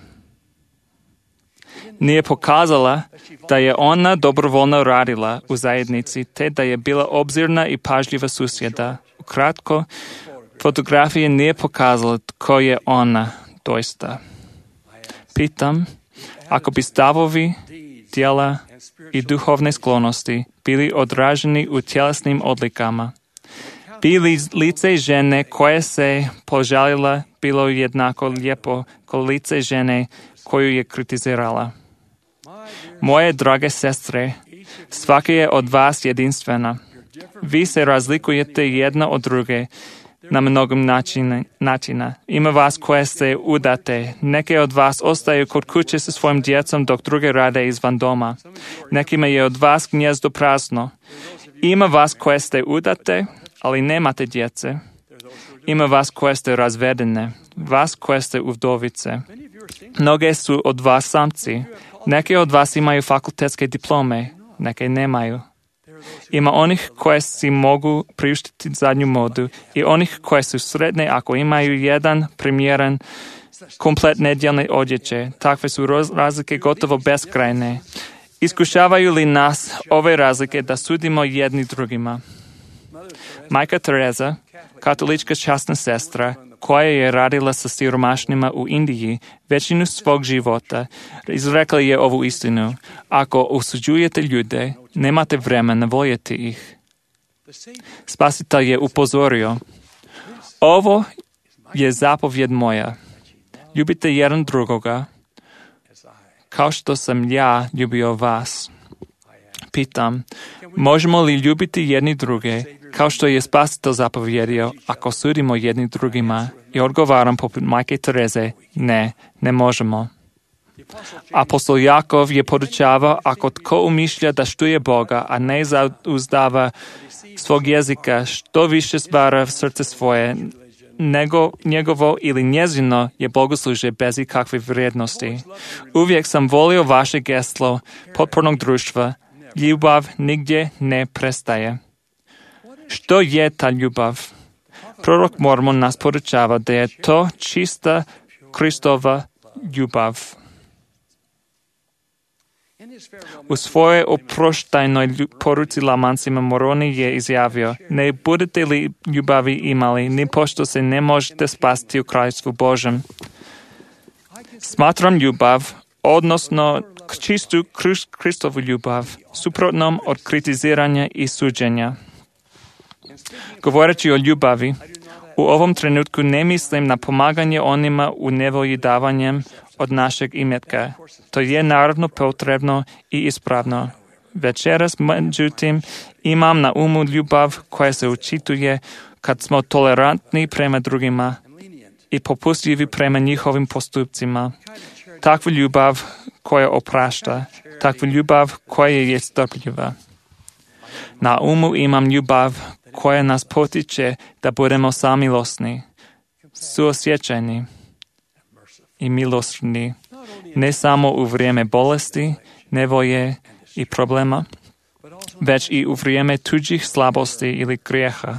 [SPEAKER 4] Nije pokazala da je ona dobrovoljno radila u zajednici, te da je bila obzirna i pažljiva susjeda. Ukratko, fotografija nije pokazala tko je ona doista. Pitam, ako bi stavovi, djela i duhovne sklonosti bili odraženi u tjelesnim odlikama, bi li lice žene koje se požalila bilo jednako lijepo kao lice žene koju je kritizirala? Moje drage sestre, svaka je od vas jedinstvena. Vi se razlikujete jedna od druge na mnogom načina, načina. Ima vas koje se udate. Neke od vas ostaju kod kuće sa svojim djecom dok druge rade izvan doma. Nekima je od vas gnjezdo prazno. Ima vas koje ste udate, ali nemate djece. Ima vas koje ste razvedene, vas koje ste uvdovice. Mnoge su od vas samci. Neke od vas imaju fakultetske diplome, neke nemaju. Ima onih koje si mogu priuštiti zadnju modu i onih koje su sretne ako imaju jedan primjeren komplet nedjeljne odjeće. Takve su razlike gotovo beskrajne. Iskušavaju li nas ove razlike da sudimo jedni drugima? Majka Teresa, katolička časna sestra, koja je radila sa siromašnima u Indiji većinu svog života, izrekla je ovu istinu. Ako osuđujete ljude, nemate vremena voljeti ih. Spasitelj je upozorio, ovo je zapovjed moja. Ljubite jedan drugoga, kao što sam ja ljubio vas. Pitam, možemo li ljubiti jedni druge, kao što je Spasitelj zapovjedio, ako sudimo jedni drugima? I odgovaram poput majke Tereze, ne, ne možemo. Apostol Jakov je podučavao, ako tko umišlja da štuje Boga, a ne zauzdava svog jezika, što više stvara srce svoje, nego njegovo ili njezino je bogoslužje bez ikakve vrijednosti. Uvijek sam volio vaše geslo potpornog društva. Ljubav nigdje ne prestaje. Što je ta ljubav? Prorok Mormon nas podučava da je to čista Kristova ljubav. U svojoj oproštajnoj poruci Lamancima Moroni je izjavio, ne budete li ljubavi imali, ni pošto se ne možete spasti u kraljestvu Božem. Smatram ljubav, odnosno čistu Kristovu ljubav, suprotnom od kritiziranja i suđenja. Govoreći o ljubavi, u ovom trenutku ne mislim na pomaganje onima u nevolji davanjem od našeg imetka. To je naravno potrebno i ispravno. Večeras, međutim, imam na umu ljubav koja se učituje kad smo tolerantni prema drugima i popustljivi prema njihovim postupcima. Takva ljubav koja oprašta, takva ljubav koja je strpljiva. Na umu imam ljubav koja nas potiče da budemo samilosni, suosjećajni i milosrdni, ne samo u vrijeme bolesti, nevolje i problema, već i u vrijeme tuđih slabosti ili grijeha.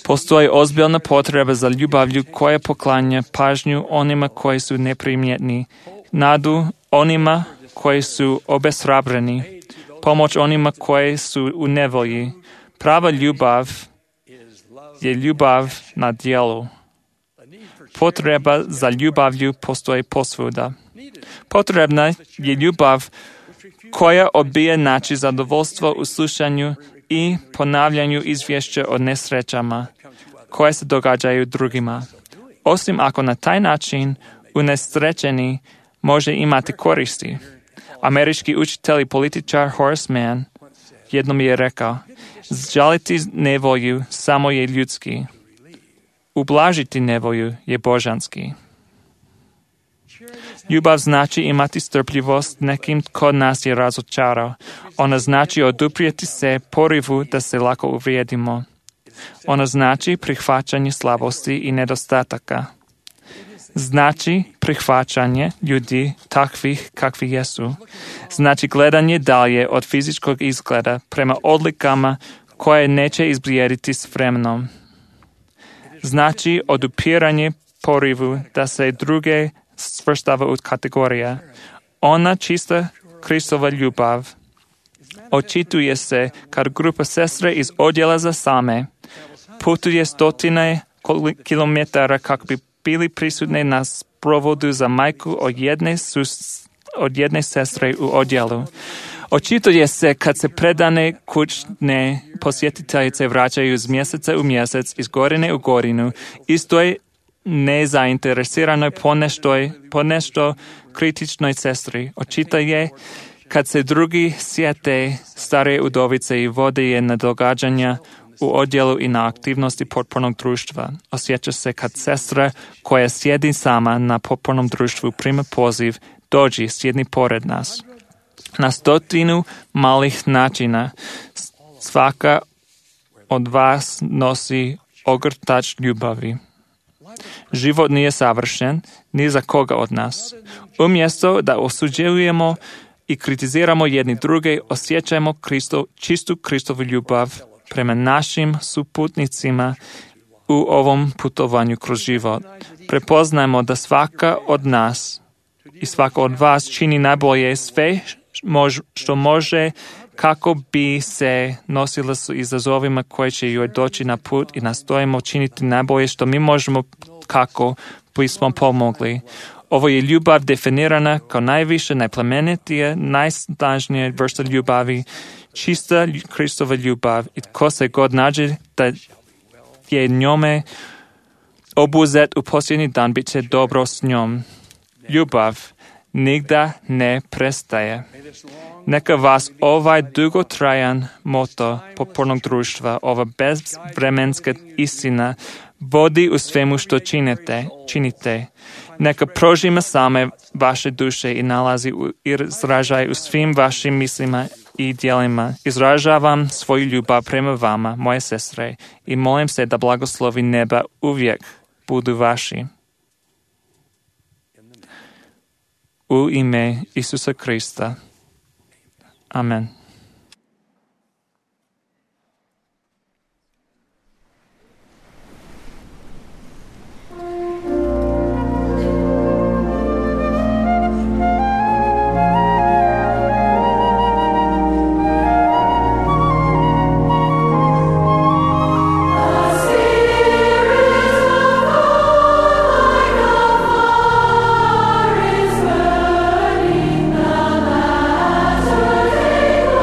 [SPEAKER 4] Postoji ozbiljna potreba za ljubavlju koja poklanja pažnju onima koji su neprimjetni, nadu onima koji su obeshrabreni, pomoć onima koji su u nevolji. Prava ljubav je ljubav na djelu. Potreba za ljubavlju postoji posvuda. Potrebna je ljubav koja odbija naći zadovoljstvo u slušanju i ponavljanju izvješća o nesrećama koje se događaju drugima. Osim ako na taj način unesrećeni može imati koristi. Američki učitelj i političar Horace Mann jednom je rekao, žaliti nevolju samo je ljudski. Ublažiti nevolju je božanski. Ljubav znači imati strpljivost nekim tko nas je razočarao. Ona znači oduprijeti se porivu da se lako uvrijedimo. Ona znači prihvaćanje slabosti i nedostataka. Znači prihvaćanje ljudi takvih kakvi jesu. Znači gledanje dalje od fizičkog izgleda prema odlikama koje neće izblijediti s vremenom. Znači odupiranje porivu da se druge svrstava u kategorije. Ona čista Kristova ljubav očituje se kad grupa sestre iz odjela za same putuje stotine kilometara kako bi bili prisutni na sprovodu za majku od jedne, sus, od jedne sestre u odjelu. Očituje se kad se predane kućne posjetiteljice vraćaju iz mjeseca u mjesec, iz godine u godinu, istoj nezainteresiranoj poneštoj, ponešto kritičnoj sestri. Očituje kad se drugi sjete starije udovice i vode je na događanja u odjelu i na aktivnosti potpornog društva. Osjeća se kad sestra koja sjedi sama na potpornom društvu prima poziv, dođi, sjedni pored nas. Na stotinu malih načina svaka od vas nosi ogrtač ljubavi. Život nije savršen ni za koga od nas. Umjesto da osuđujemo i kritiziramo jedni druge, osjećajmo Kristo, čistu Kristovu ljubav prema našim suputnicima u ovom putovanju kroz život. Prepoznajmo da svaka od nas i svaka od vas čini najbolje sve što može kako bi se nosila s izazovima koje će joj doći na put i nastojimo činiti najbolje što mi možemo kako bismo pomogli. Ovo je ljubav definirana kao najviše, najplemenitija, najsnažnija vrsta ljubavi, čista Kristova ljubav i tko se god nađe da je njome obuzet u posljednji dan, bit će dobro s njom. ljubav nigda ne prestaje. Neka vas ovaj dugotrajan moto potpornog društva, ova bezvremenska istina, vodi u svemu što činite, činite. Neka prožima same vaše duše i nalazi u, i izražaj u svim vašim mislima i djelima. Izražavam svoju ljubav prema vama, moje sestre, i molim se da blagoslovi neba uvijek budu vaši. U ime Isusa Krista. Amen.
[SPEAKER 6] Is burning the latter day.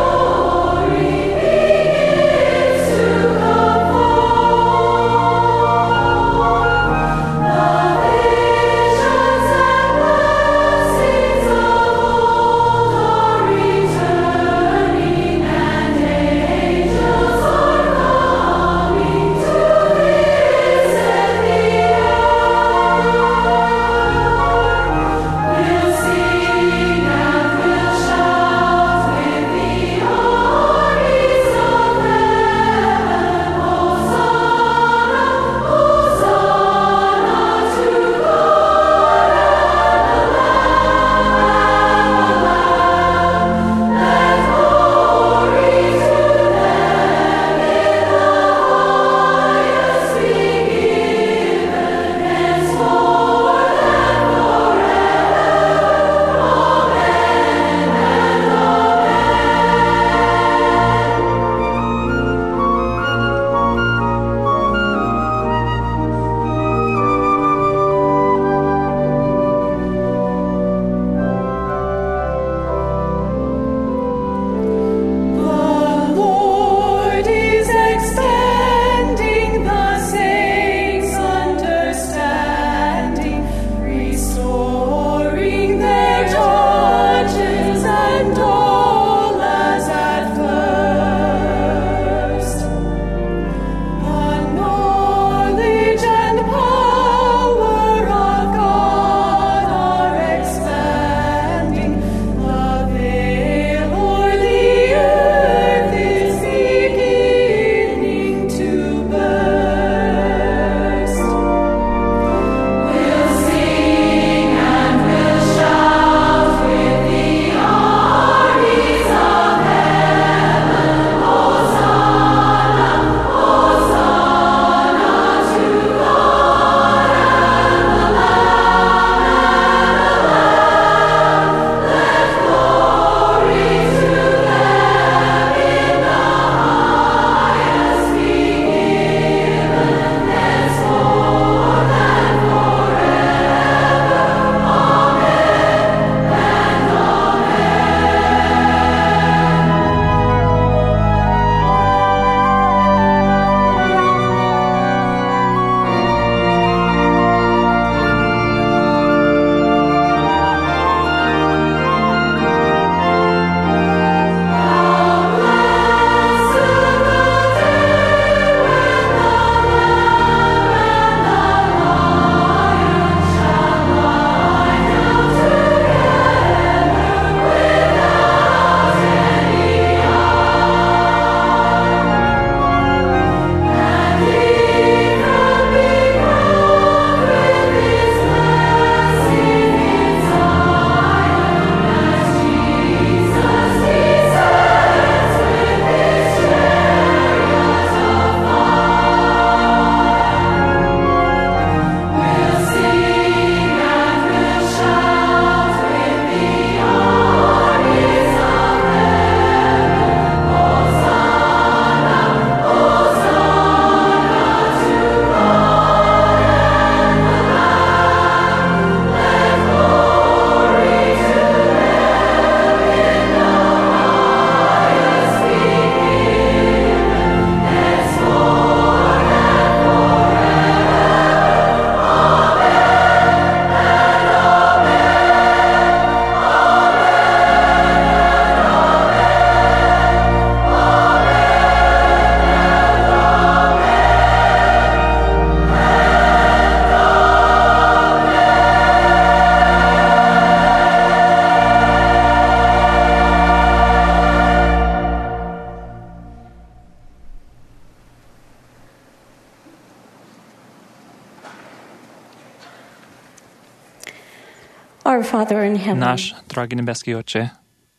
[SPEAKER 3] Our Father in heaven,
[SPEAKER 4] Náš drahý nebeský Oče,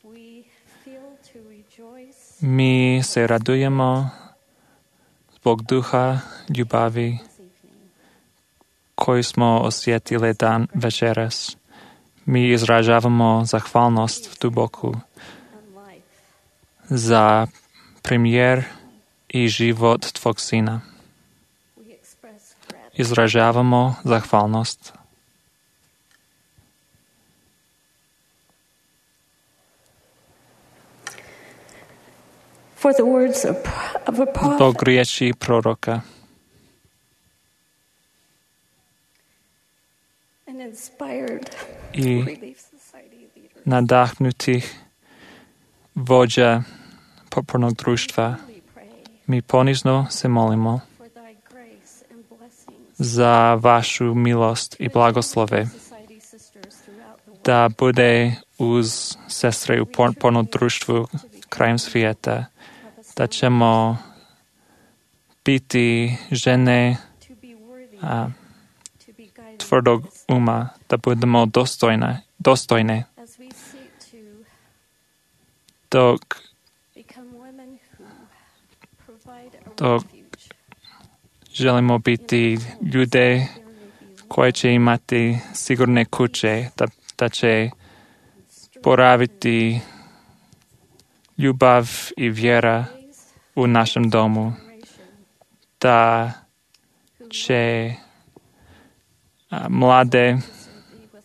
[SPEAKER 3] we feel to rejoice
[SPEAKER 4] my sa radujeme z Boh ducha ľubavy, koju sme osvietili dan večeras. My izražavamo zahvalnosť v tu Bohu za premiér i život tvog syna. Izražavamo zahvalnosť.
[SPEAKER 3] for the words of, of a prophet.
[SPEAKER 4] Bog riječi proroka
[SPEAKER 3] An inspired
[SPEAKER 4] i
[SPEAKER 3] Relief Society leader.
[SPEAKER 4] nadahnutých vođa podpornog društva.
[SPEAKER 3] We pray
[SPEAKER 4] Mi ponizno se molimo
[SPEAKER 3] for thy grace and blessings.
[SPEAKER 4] za vašu milost i blagoslove,
[SPEAKER 3] Society sisters throughout the world.
[SPEAKER 4] da bude uz sestre u podpornom društvu krajem svijeta, da ćemo biti žene
[SPEAKER 3] To be worthy,
[SPEAKER 4] a,
[SPEAKER 3] to be guided
[SPEAKER 4] tvrdog uma, da budemo dostojne, dostojne,
[SPEAKER 3] as we seek to
[SPEAKER 4] dok,
[SPEAKER 3] become women who provide a
[SPEAKER 4] dok
[SPEAKER 3] refuge.
[SPEAKER 4] želimo biti ljude koje će imati sigurne kuće, da, da će boraviti ljubav i vjera u našem domu, da će a, mlade
[SPEAKER 3] With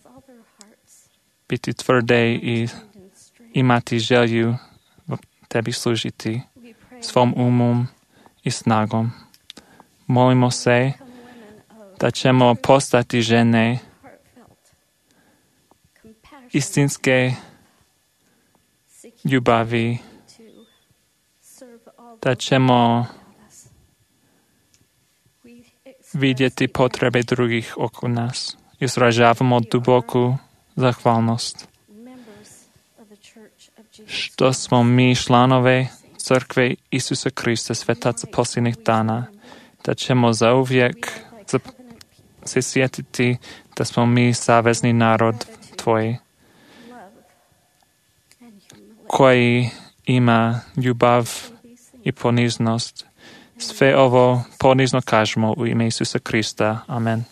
[SPEAKER 3] all their hearts
[SPEAKER 4] biti tvrde i
[SPEAKER 3] and strength.
[SPEAKER 4] imati želju tebi služiti
[SPEAKER 3] We pray
[SPEAKER 4] svom umom i snagom. Molimo se
[SPEAKER 3] become women of
[SPEAKER 4] da ćemo postati žene
[SPEAKER 3] heartfelt compassion,
[SPEAKER 4] istinske
[SPEAKER 3] seeking
[SPEAKER 4] ljubavi,
[SPEAKER 3] to serve all
[SPEAKER 4] da
[SPEAKER 3] those
[SPEAKER 4] ćemo
[SPEAKER 3] around us. We express
[SPEAKER 4] vidjeti
[SPEAKER 3] the
[SPEAKER 4] potrebe drugih oko nas. Izražavamo duboku zahvalnost
[SPEAKER 3] members of the Church of Jesus
[SPEAKER 4] što smo mi članove crkve Isusa Krista, svetaca posljednjih dana, da ćemo zauvijek
[SPEAKER 3] Thy
[SPEAKER 4] za-
[SPEAKER 3] covenant people,
[SPEAKER 4] se sjetiti da smo mi savezni narod Tvoj,
[SPEAKER 3] love and humility.
[SPEAKER 4] koji ima ljubav
[SPEAKER 3] These things
[SPEAKER 4] i poniznost. Sve ovo ponizno kažemo u ime Isusa Krista. Amen.